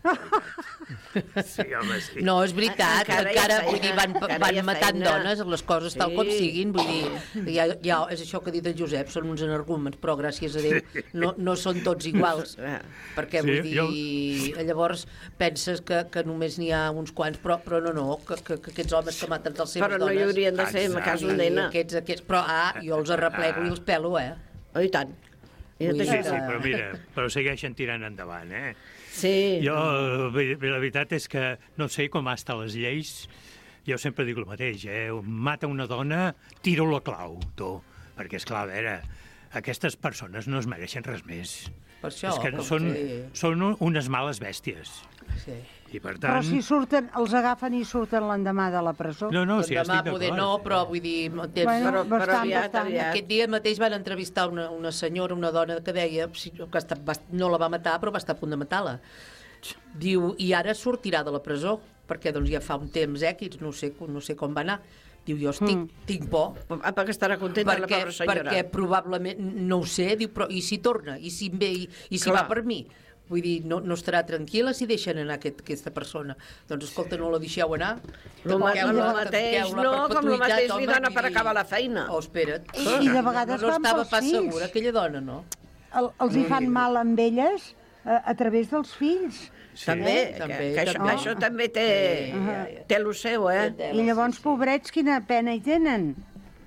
Sí, home, sí. No, és veritat, encara, encara vull dir, van, van matant feina. Dones, les coses sí. tal com siguin, vull dir, ja, ja, és això que ha dit el Josep, són uns energúmens, però gràcies a Déu sí. no, no són tots iguals, perquè vull sí, dir, jo... llavors penses que, que només n'hi ha uns quants, però, però no, no, que, que, que aquests homes que maten les seves però dones... Però no hi haurien de ser, en cas un nena. Aquests, aquests, però, ah, jo els arreplego i els pelo, eh? Oh, i tant. Sí, sí, però mira, però segueixen tirant endavant, eh? Sí. Jo, la veritat és que no sé com estan les lleis. Jo sempre dic el mateix, eh? Mata una dona, tiro la clau, tu. Perquè, esclar, a veure, aquestes persones no es mereixen res més. Per això, és que són, sí. són unes males bèsties. Sí. I per tant... Però si surten, els agafen i surten l'endemà de la presó. No, no, si ja estic d'acord. Poder no, però vull dir... Tens... Bueno, però, bastant, però aviat, bastant. aviat. Aquest dia mateix van entrevistar una, una senyora, una dona que deia que està, va, no la va matar, però va estar a punt de matar-la. Diu, i ara sortirà de la presó, perquè doncs ja fa un temps, eh, que no sé, no sé com va anar. Diu, jo estic, mm. tinc por. Ah, perquè estarà contenta la pobra senyora. Perquè probablement, no ho sé, diu, però i si torna? I si ve, i, i si va per mi? Vull dir, no, no estarà tranquil·la si deixen anar aquest, aquesta persona. Doncs, escolta, no la deixeu anar. El mateix, no, com el mateix li dona per acabar la feina. Oh, espera't. I, i de vegades no, no van estava pels pas fills. segura, aquella dona, no? El, els hi fan mal amb elles a, a través dels fills. Sí. També, eh? també, que, que això, també. Això també té, sí. té el seu, eh? I llavors, pobrets, quina pena hi tenen.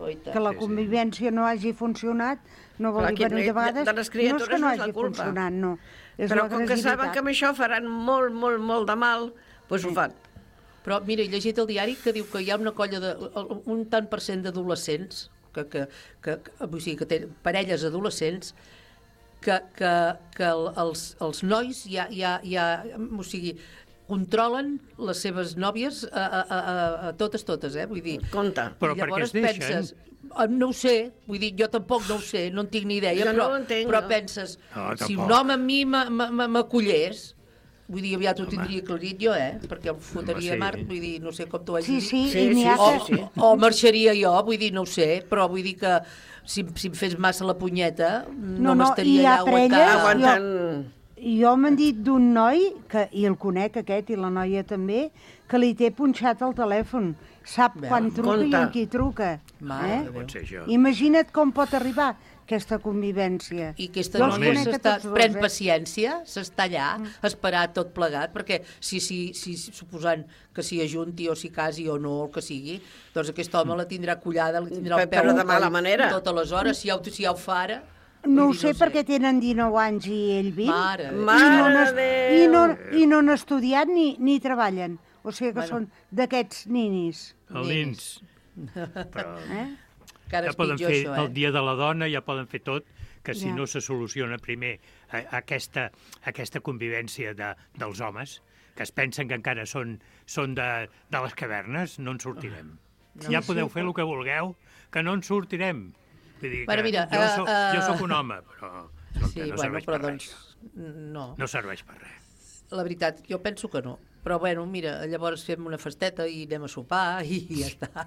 Que la convivència no hagi funcionat, no vol dir venir de vegades, de les criatures no és que no no és hagi funcionat, no. És però com que saben que amb això faran molt, molt, molt de mal, doncs ho fan. Però mira, he llegit el diari que diu que hi ha una colla de... un tant per cent d'adolescents, que, que, que, que, o sigui, que tenen parelles adolescents, que, que, que els, els nois ja, ja, ja, o sigui, controlen les seves nòvies a, a, a, a totes, totes, eh? Vull dir... Compte. Però per què es deixen? Penses, no ho sé, vull dir, jo tampoc no ho sé, no en tinc ni idea, jo però, no entenc, però no. penses, no, si un home a mi m'acollés, vull dir, aviat ho tindria aclarit jo, eh? Perquè el fotria sí. a Mart, vull dir, no sé com t'ho has sí, dit. Sí, sí, sí, sí, o, sí, sí. o marxaria jo, vull dir, no ho sé, però vull dir que si, si em fes massa la punyeta, no, no m'estaria allà aguantant. aguantant... Jo, jo m'han dit d'un noi, que, i el conec aquest, i la noia també, que li té punxat el telèfon. Sap Bé, quan truca compte. I amb qui truca. Eh? Imagina't com pot arribar aquesta convivència. I aquesta noia s'està, pren eh? paciència, s'està allà, mm. esperar tot plegat, perquè si, si, si suposant que s'hi ajunti o s'hi casi o no, el que sigui, doncs aquest home la tindrà collada, la tindrà el peu però de mala manera. Totes les hores, si ja, si ja ho fa ara... No ho sé, no perquè sé. Tenen dinou anys i ell vint. Mare, i, no i, no, I no han estudiat ni, ni treballen. O sigui que bueno. Són d'aquests ninis. El nins. Però... Eh? Ja poden fer això, eh? el dia de la dona, ja poden fer tot, que si ja. no se soluciona primer aquesta, aquesta convivència de, dels homes, que es pensen que encara són, són de, de les cavernes, no en sortirem. No, ja podeu sí, fer el que vulgueu, que no en sortirem. Vull dir bueno, que mira, jo, soc, uh, jo soc un home, però sí, no bueno, serveix però per doncs, res. No. no serveix per res. La veritat, jo penso que no. Però, bueno, mira, llavors fem una festeta i anem a sopar i ja està.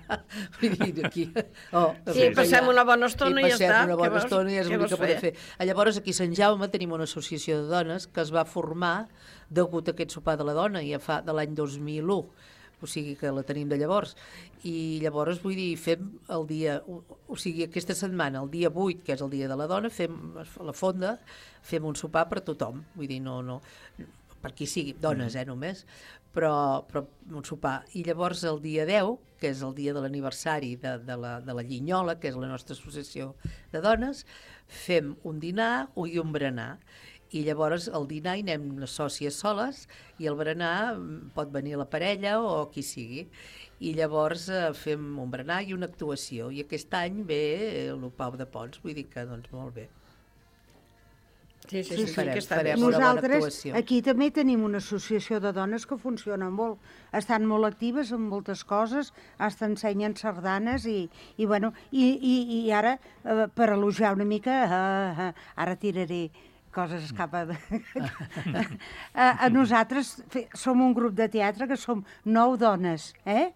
Vull dir, aquí... Oh, sí, passem ja. una bona estona i, i ja està. I passem una bona estona i és l'únic que podem fer. Llavors, aquí a Sant Jaume tenim una associació de dones que es va formar degut a aquest sopar de la dona, ja fa de l'any dos mil u. O sigui que la tenim de llavors. I llavors, vull dir, fem el dia... O sigui, aquesta setmana, el dia vuit, que és el dia de la dona, fem la fonda, fem un sopar per tothom. Vull dir, no, no, per qui sigui, dones, eh, només, però, però un sopar. I llavors el dia deu, que és el dia de l'aniversari de, de, la, de la Llinyola, que és la nostra associació de dones, fem un dinar i un berenar. I llavors al dinar hi anem les sòcies soles i al berenar pot venir la parella o qui sigui. I llavors eh, fem un berenar i una actuació. I aquest any ve el Pau de Pons, vull dir que doncs molt bé. Sí, sí, sí, sí, farem, que està farem bé. una bona Nosaltres actuació. aquí també tenim una associació de dones que funciona molt. Estan molt actives en moltes coses, hasta ensenyen sardanes i, i, bueno, i, i, i ara, eh, per elogiar una mica, eh, eh, ara tiraré coses cap a... a, a nosaltres fe, som un grup de teatre que som nou dones, eh?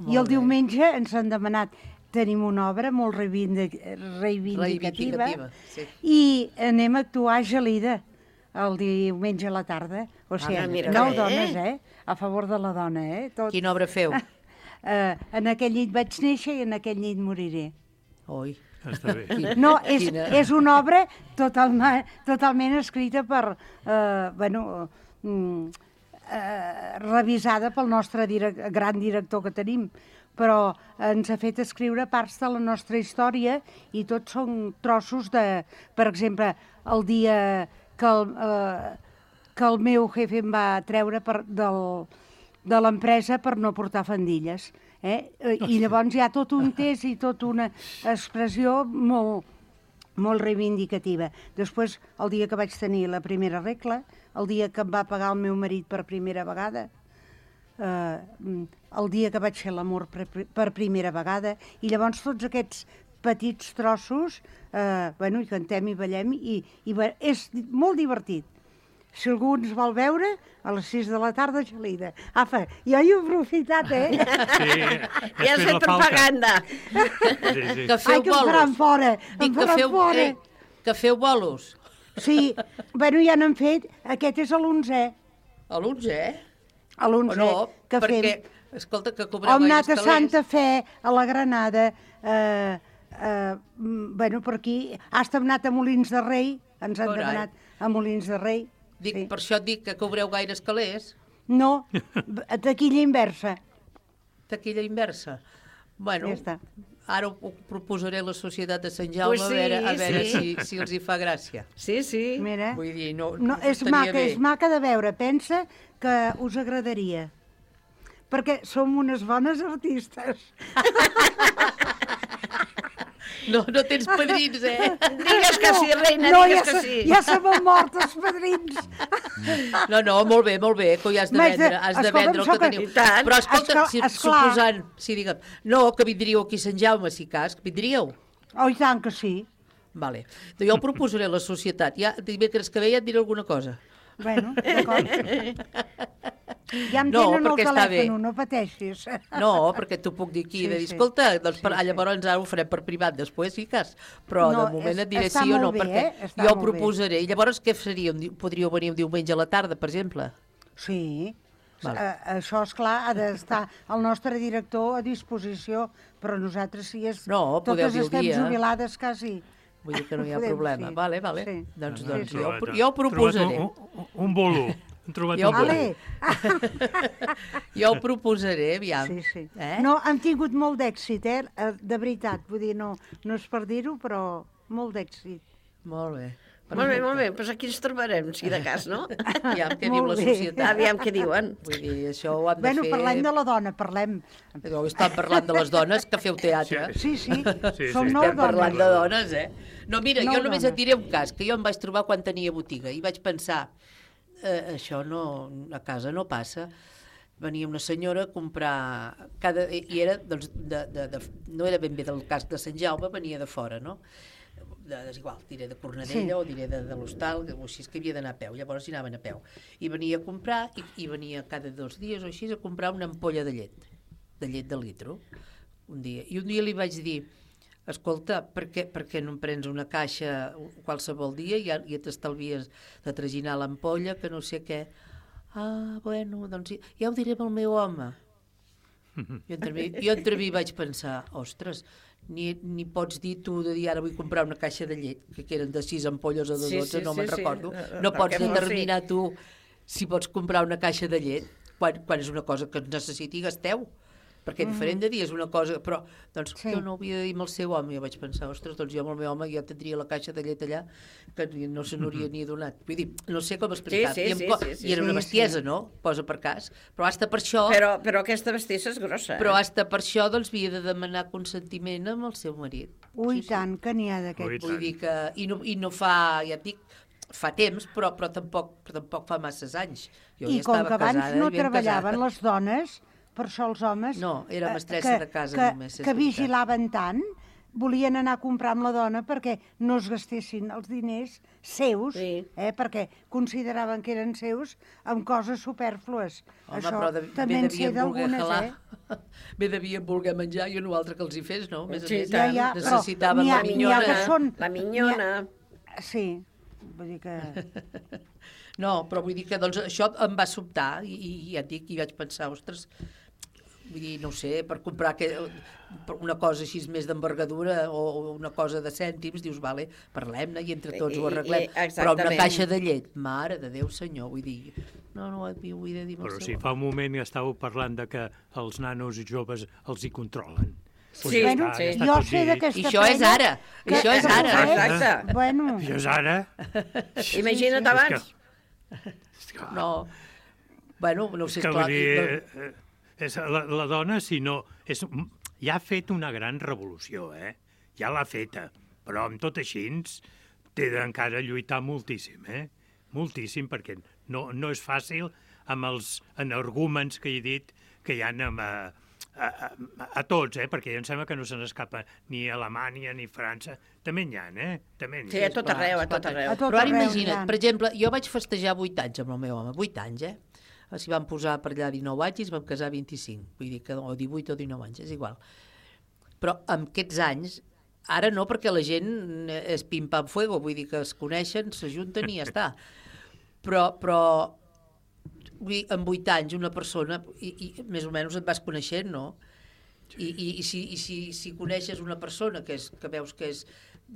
I el diumenge ens han demanat, tenim una obra molt reivindic reivindicativa, reivindicativa sí. I anem a actuar a Gelida el diumenge a la tarda. O sigui, ah, mira, nou bé. dones, eh? A favor de la dona, eh? Tot. Quina obra feu? Uh, en aquell nit vaig néixer i en aquell nit moriré. Oi. Està bé. No, és, és una obra totalment, totalment escrita per, eh, bueno, eh, revisada pel nostre direc gran director que tenim, però ens ha fet escriure parts de la nostra història i tots són trossos de, per exemple, el dia que el, eh, que el meu jefe em va treure per, del, de l'empresa per no portar fandilles. Eh? I llavors hi ha tot un test i tota una expressió molt, molt reivindicativa. Després, el dia que vaig tenir la primera regla, el dia que em va pagar el meu marit per primera vegada, eh, el dia que vaig fer l'amor per, per primera vegada, i llavors tots aquests petits trossos, eh, bueno, i cantem i ballem, i, i és molt divertit. Si algú ens vol veure, a les sis de la tarda, Gelida. Apa, jo hi he aprofitat, eh? Sí, ja has fet propaganda. Sí, sí. Que feu Ai, que em faran bolos. fora, Dic em que faran feu, fora. eh, que feu bolos. Sí, bueno, ja n'han fet, aquest és l'onzè. A l'onzè? A l'onzè, no, que perquè, fem. escolta, que cobreu Hem gaires anat a calés. Santa Fe, a la Granada, eh, eh, bueno, per aquí, hasta hem anat a Molins de Rei, ens han Carai. demanat a Molins de Rei. Dic, Sí. per això et dic que cobreu gaires calés. No, taquilla inversa. Taquilla inversa. Bueno, Ja està. ara ho, ho proposaré a la Societat de Sant Jaume Pues sí, a veure, a veure sí. si, si els hi fa gràcia. Sí, sí. Mira, Vull dir, no, no, és, estaria maca, bé. és maca de veure, pensa que us agradaria. Perquè som unes bones artistes. No, no tens padrins, eh? Digues que sí, reina, no, digues ja que se, sí. Ja se m'han mort els padrins. No, no, molt bé, molt bé, que ho has de M'haig de- vendre, has de escolta'm, vendre el soc- que teniu. I tant. Però escolta, Esclar- si, esclar. suposant, sí, digue'm, no, que vindríeu aquí a Sant Jaume, si cas, que vindríeu. Oh, i tant que sí. Vale. Jo ho proposaré a la societat. Ja, dimecres que ve ja et diré alguna cosa. Bueno, d'acord. Ja em No, tenen el perquè està bé. telèfon, no pateixis. No, perquè t'ho puc dir aquí, Sí, de dir, sí. escolta, doncs per, Sí, ah, sí. llavors ara ho farem per privat després, sí cas, però No, de moment és- et diré està sí o no, molt bé, perquè eh? Està jo ho molt bé. proposaré. I llavors què faria? Un di- Podríeu venir un diumenge a la tarda, per exemple? Sí. Vale. Uh, això, és clar, ha d'estar el nostre director a disposició, però nosaltres sí és... No, podeu totes dir el estem dia. jubilades quasi. Vull dir que no hi ha Podem, problema. sí. Vale, vale. Sí. Doncs, Sí, doncs sí. jo, Trobat- jo ho proposaré. trobat Un, un, un bolo. Hem trobat Jo un bolo. Ale. Jo ho proposaré, aviam. Sí, sí. Eh? No, han tingut molt d'èxit, eh? Eh, de veritat. Vull dir, no, no és per dir-ho, però molt d'èxit. Molt bé. Molt bé, molt bé, doncs aquí ens trobarem, si de cas, no? Aviam què diu Molt la bé. societat. Aviam què diuen. Vull dir, això ho han de Bueno, fer... parlem de la dona, parlem. No, estan parlant de les dones que feu teatre. Sí, sí, Sí, som sí. nou Estem parlant dones. de dones, eh? No, mira, Nou jo només dones. et diré un cas, que jo em vaig trobar quan tenia botiga i vaig pensar, eh, això no, a casa no passa. Venia una senyora a comprar, cada, i era, doncs, de, de, de, no era ben bé del cas de Sant Jaume, venia de fora, no? De, és igual, diré de Cornedella Sí. o diré de, de l'Hostal, o així, és que havia d'anar a peu, llavors hi anaven a peu. I venia a comprar, i, i venia cada dos dies o així a comprar una ampolla de llet, de llet de litro, un dia. I un dia li vaig dir, escolta, per què, per què no em prens una caixa qualsevol dia i ja, ja t'estalvies de traginar l'ampolla, que no sé què. Ah, bueno, doncs ja, ja ho diré amb el meu home. Jo entre mi, jo entre mi vaig pensar, ostres, ni, ni pots dir tu de dir ara vull comprar una caixa de llet, que eren de sis ampolles o de Sí, dotze, sí, no sí, me'n sí. recordo. Eh, No pots perquè fos determinar tu si pots comprar una caixa de llet quan, quan és una cosa que es necessiti i gasteu. perquè Mm. diferent de dir és una cosa, però doncs Sí. jo no ho havia de dir amb el seu home, jo vaig pensar, ostres, doncs jo amb el meu home ja tindria la caixa de llet allà que ni- no se n'hauria ni donat. Vull dir, no sé com explicar. Sí, sí, I, em sí, co- sí, sí. I era una Sí, bestiesa, sí. no? Posa per cas. Però hasta per això... Però, però aquesta bestiesa és grossa, eh? Però hasta per això doncs havia de demanar consentiment amb el seu marit. Ui, tant, que n'hi ha d'aquest. Vull dir que... I no, i no fa, ja et dic, fa temps, però, però, tampoc, però tampoc fa masses anys. Jo I ja com estava que abans casada, no ben treballaven casada. les dones, per això els homes... No, era eh, mestressa que- de casa que, només, és Que veritat. vigilaven tant, volien anar a comprar amb la dona perquè no es gastessin els diners seus, sí. eh, perquè consideraven que eren seus, amb coses supèrflues. Home, Això però de, també bé en sé devien voler d'algunes, jalar. eh? Bé devien voler menjar i no altre que els hi fes, no? Més Sí, a més, ja, ja, però necessitaven n'hi ha- la n'hi ha minyona. que són- La minyona. Sí, vull dir que... No, però vull dir que doncs, això em va sobtar i, i ja et dic, i vaig pensar, ostres, vull dir, no ho sé, per comprar que, per una cosa així més d'envergadura o, o una cosa de cèntims, dius, vale, parlem-ne i entre tots ho arreglem. I- i- Però una exactament. caixa de llet, mare de Déu senyor, vull dir, no, no ho havia de dir amb el Però seu si fa un moment estàveu parlant de que els nanos i joves els hi controlen. Pues Sí, ja bueno, està, ja està jo tot sé dit. d'aquesta I això és pena ara, que- això és que ara. Josep, Exacte. Bueno, Això és ara. Imagina't abans. No, bueno, no ho sé, És que esclar, vull dir, no- eh, és la, la dona, si no... És, ja ha fet una gran revolució, eh? Ja l'ha feta. Però amb tot així té d'encara lluitar moltíssim, eh? Moltíssim, perquè no, no és fàcil amb els energúmens que he dit que hi ha amb, a, a, a, a tots, eh? Perquè em sembla que no se n'escapa ni Alemanya ni França. També n'hi ha, eh? També n'hi ha. Sí, a tot arreu, a tot arreu. A tot Però ara arreu imagina't, n'hi ha. per exemple, jo vaig festejar vuit anys amb el meu home, vuit anys, eh? S'hi van posar per allà dinou anys i es vam casar vint-i-cinc, vull dir que o divuit o dinou anys, és igual. Però amb aquests anys, ara no, perquè la gent és pim-pam-fuego, vull dir que es coneixen, s'ajunten i ja està. Però, però vull dir, en vuit anys una persona, i, i més o menys et vas coneixent, no? I, i, i, si, i si, si coneixes una persona que, és, que veus que és,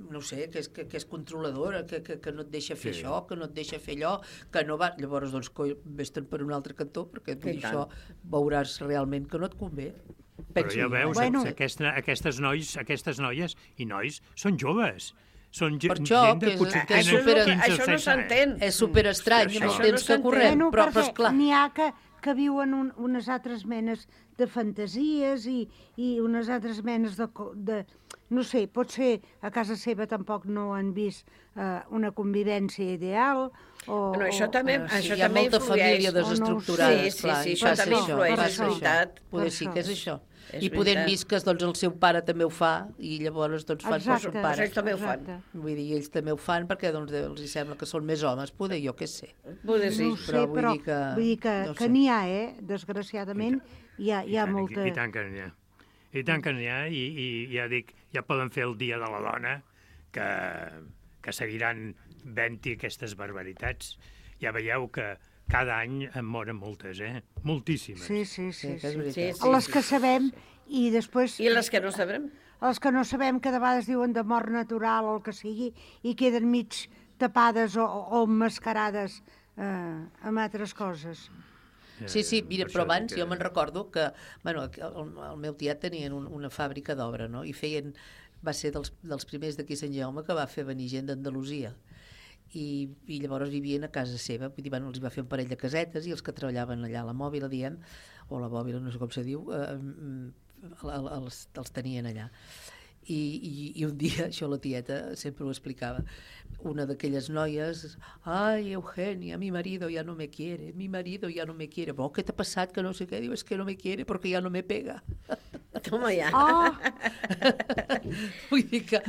no ho sé, que és, que, que és controladora, que, que, que no et deixa fer Sí. això, que no et deixa fer allò, que no va... Llavors, doncs, coi, vés-te'n per un altre cantó, perquè vull dir, I tant. això veuràs realment que no et convé. Però Penso ja jo, veus, eh? Bueno. aquesta, aquestes, nois, aquestes noies i nois són joves. Són ge- Per això, gent de que és- potser que és tenen super- quinze o Això no setze anys. s'entén. És superestrany amb el Això temps no que s'entén. correm, Bueno, però, però perquè esclar... n'hi ha que, que viuen un, unes altres menes de fantasies i, i unes altres menes de, co- de... No sé, potser a casa seva tampoc no han vist eh, una convivència ideal o... Bueno, això o- també, Ah, sí, això hi ha també molta influeix. família desestructurada, Sí, sí, esclar, sí, i això passa també això, influeix, passa és això. veritat. Poder Per sí això. que és això. És I poder veritat. vist que doncs, el seu pare també ho fa i llavors doncs, fan per Exacte, son pare. Ells també ho fan. exacte. Vull dir, ells també ho fan perquè doncs, els hi sembla que són més homes, poder, jo què sé. Poder sí. No ho sé, però però, vull dir que- vull dir que, no que sé. n'hi ha, eh? Desgraciadament, hi ha, hi ha I tant, molta... I tant que n'hi ha. I tant que n'hi ha, i, i ja dic, ja poden fer el Dia de la Dona, que, que seguiran vent-hi aquestes barbaritats. Ja veieu que cada any en moren moltes, eh? Moltíssimes. Sí, sí, sí. Sí, que és sí. veritat. Sí, sí. Les que sabem i després... I les que no sabrem? Els que no sabem, que de vegades diuen de mort natural o el que sigui, i queden mig tapades o, o emmascarades eh, amb altres coses. Sí, sí, mira, Per però això abans dic jo me'n recordo que, bueno, el, el meu tiet tenien un, una fàbrica d'obra, no? I feien, va ser dels, dels primers d'aquí a Sant Jaume que va fer venir gent d'Andalusia. I, i llavors vivien a casa seva, vull dir, bueno, els hi va fer un parell de casetes i els que treballaven allà a la mòbila, diem, o la mòbila, no sé com se diu, eh, eh, els, els tenien allà. I, i, i un dia, això la tieta sempre ho explicava, una d'aquelles noies, ai, Eugenia, mi marido ya no me quiere, mi marido ya no me quiere. Oh, què t'ha passat? Que no sé què. Diu, es que no me quiere porque ya no me pega. Toma ja. Oh, Vull dir que,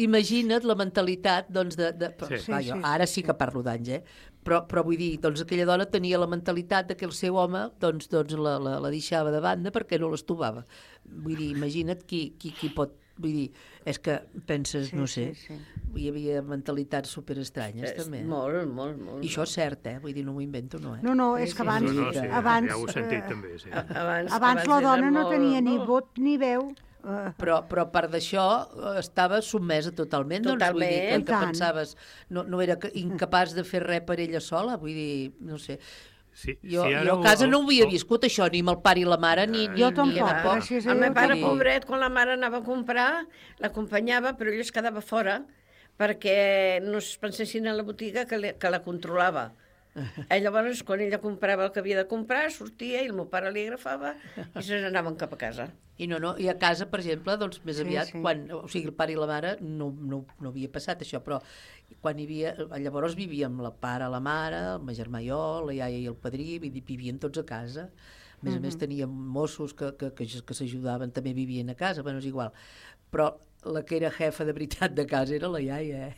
imagina't la mentalitat, doncs, de... de però, Sí. clar, Sí, jo, sí, ara sí, sí que parlo d'anys, eh? Però, però vull dir, doncs aquella dona tenia la mentalitat de que el seu home doncs, doncs la, la, la deixava de banda perquè no l'estovava. Vull dir, imagina't qui, qui, qui pot... Vull dir, és que penses, Sí, no sé, sí, sí. hi havia mentalitats superestranyes, És també. molt, molt, molt. I això és cert, eh? Vull dir, no m'ho invento, no, eh? no, no, és que abans... No, no, sí, abans, ja ho he sentit eh, també, sí. Abans, abans la era dona no molt- tenia ni vot ni veu. Eh, Però, però a part d'això eh, estava sotmesa totalment, doncs vull dir que, Totalment. que I tant. pensaves no, no era que- incapaç de fer res per ella sola, vull dir, no sé, Sí, jo, sí, jo a casa no ho havia viscut, això, ni amb el pare i la mare, ni... Jo ni, tampoc, ni gràcies a El Déu. meu pare, que- pobret, quan la mare anava a comprar, l'acompanyava, però ell es quedava fora perquè no es pensessin a la botiga que, le, que la controlava. Eh, llavors, quan ella comprava el que havia de comprar, sortia i el meu pare li agafava i se n'anaven cap a casa. I no, no, i a casa, per exemple, doncs més Sí, aviat, sí. quan, o sigui, el pare i la mare no, no, no havia passat això, però quan hi havia, llavors vivíem la pare, la mare, el meu germà i jo, la iaia i el padrí, vivien tots a casa. A més a més Mhm. teníem mossos que, que, que, que s'ajudaven, també vivien a casa, bueno, és igual. Però la que era jefa de veritat de casa era la iaia, eh?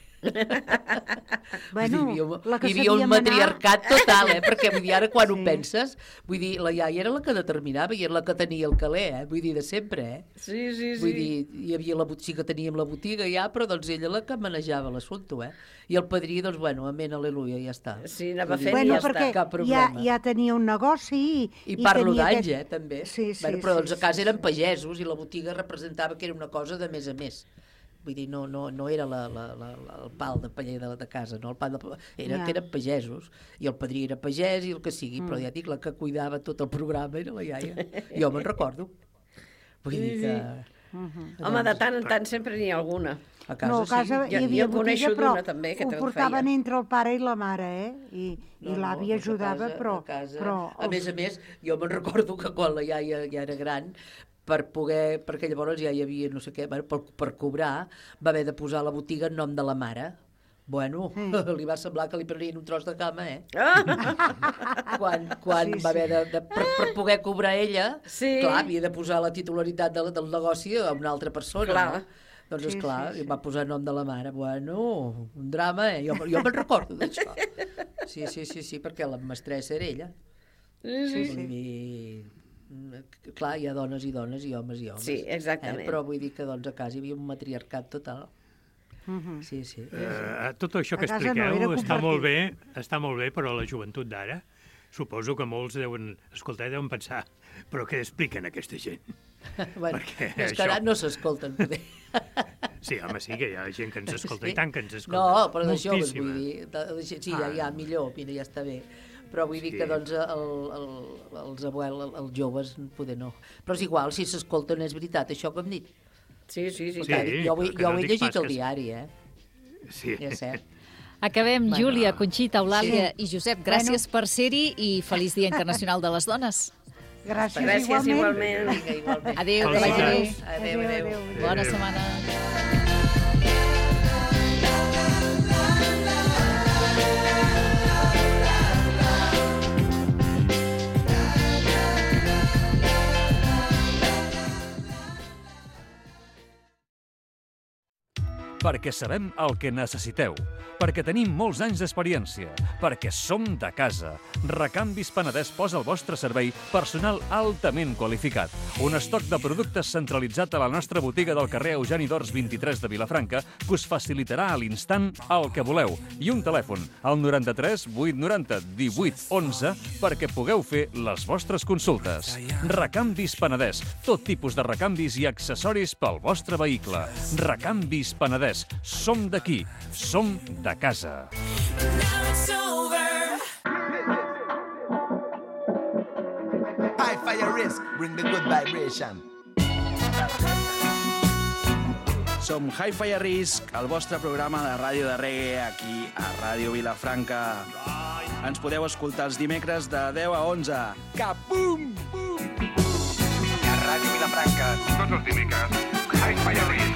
Bueno, Vull dir, hi havia, la que hi havia un sabia manar. matriarcat total, eh? Perquè vull dir, ara quan sí. ho penses, vull dir, la iaia era la que determinava i era la que tenia el caler, eh? Vull dir, de sempre, eh? Sí, sí, sí. Vull dir, hi havia la, sí que teníem la botiga ja, però doncs ella la que manejava l'assumpte, eh? I el padrí, doncs, bueno, amén, aleluia, ja està. Sí, anava Vull dir, Bueno, ja perquè està, cap ja, problema. ja tenia un negoci i... I parlo tenia d'anys, aquest- eh, també. Sí, sí, bueno, però sí, doncs a casa eren pagesos i la botiga representava que era una cosa de més a més. Vull dir, no, no, no era la, la, la, la, el pal de paller de, de casa, no? El pal de, era Ja. que eren pagesos, i el padrí era pagès i el que sigui, mm. però ja dic, la que cuidava tot el programa era la iaia. Jo me'n recordo. Vull dir que... Uh-huh. Home, de tant en tant sempre n'hi ha alguna. A casa, No, a casa sí. hi havia jo coneixo botiga, però d'una també que ho te'l portaven feia. entre el pare i la mare, eh? I, i l'àvia doncs a ajudava, casa- però... a casa, però a més a més, jo me'n recordo que quan la iaia ja era gran, per poder, perquè llavors ja hi havia no sé què, bueno, per, per cobrar, va haver de posar la botiga en nom de la mare. Bueno, mm. li va semblar que li prenien un tros de cama, eh? Ah! quan quan Sí, sí, va haver de, de per, per poder cobrar ella, Sí. clar, havia de posar la titularitat del, del negoci a una altra persona, Clar. no? Doncs, Sí, esclar, sí, sí. va posar nom de la mare. Bueno, un drama, eh? Jo, jo me'n recordo d'això. Sí, sí, sí, sí, perquè la mestressa era ella. Sí, sí. Vull dir, mm, clar, hi ha dones i dones i homes i homes. Sí, exactament. Eh? Però vull dir que doncs, a casa hi havia un matriarcat total. Mhm. Sí, sí. Eh, tot això que A casa no, expliqueu era està compartit. molt bé, està molt bé, però la joventut d'ara, suposo que molts deuen escoltar i deuen pensar, però què expliquen aquesta gent? Bueno, Perquè és que això- ara no s'escolten, poder. Sí, home, sí que hi ha gent que ens escolta, i tant que ens escolta. No, però de joves, Moltíssima. vull dir, de, de, sí, ja, ja, millor, mira, ja està bé. Però vull dir Sí. que, doncs, el, el, els abuels, els joves, poder no. Però és igual, si s'escolten, és veritat, això que hem dit. Sí, sí, sí. Sí, Clar, jo, ho he- que jo no ho he dic llegit pas al que- diari, eh? Sí. Ja és cert. Acabem, Bueno. Júlia, Conxita, Eulàlia Sí. i Josep. Gràcies per ser-hi i feliç Dia Internacional de les Dones. Gràcies, Gràcies igualment. igualment. Vinga, igualment. Adéu, que Felicitats. vagi bé. Adéu, adéu. adéu. Bona Adéu. setmana. Perquè sabem el que necessiteu, perquè tenim molts anys d'experiència, perquè som de casa. Recanvis Penedès posa al vostre servei personal altament qualificat. Un estoc de productes centralitzat a la nostra botiga del carrer Eugeni d'Ors vint-i-tres de Vilafranca que us facilitarà a l'instant el que voleu. I un telèfon, al noranta-tres vuit noranta divuit onze, perquè pugueu fer les vostres consultes. Recanvis Penedès, tot tipus de recanvis i accessoris pel vostre vehicle. Recanvis Penedès, som d'aquí, som de casa. High fire risk, bring the good vibration. Som Hi-Fi a Risc, el vostre programa de ràdio de reggae aquí a Ràdio Vilafranca. Ens podeu escoltar els dimecres de deu a onze. Capum! A Ràdio Vilafranca, tots els dimecres, Hi-Fi a Risc.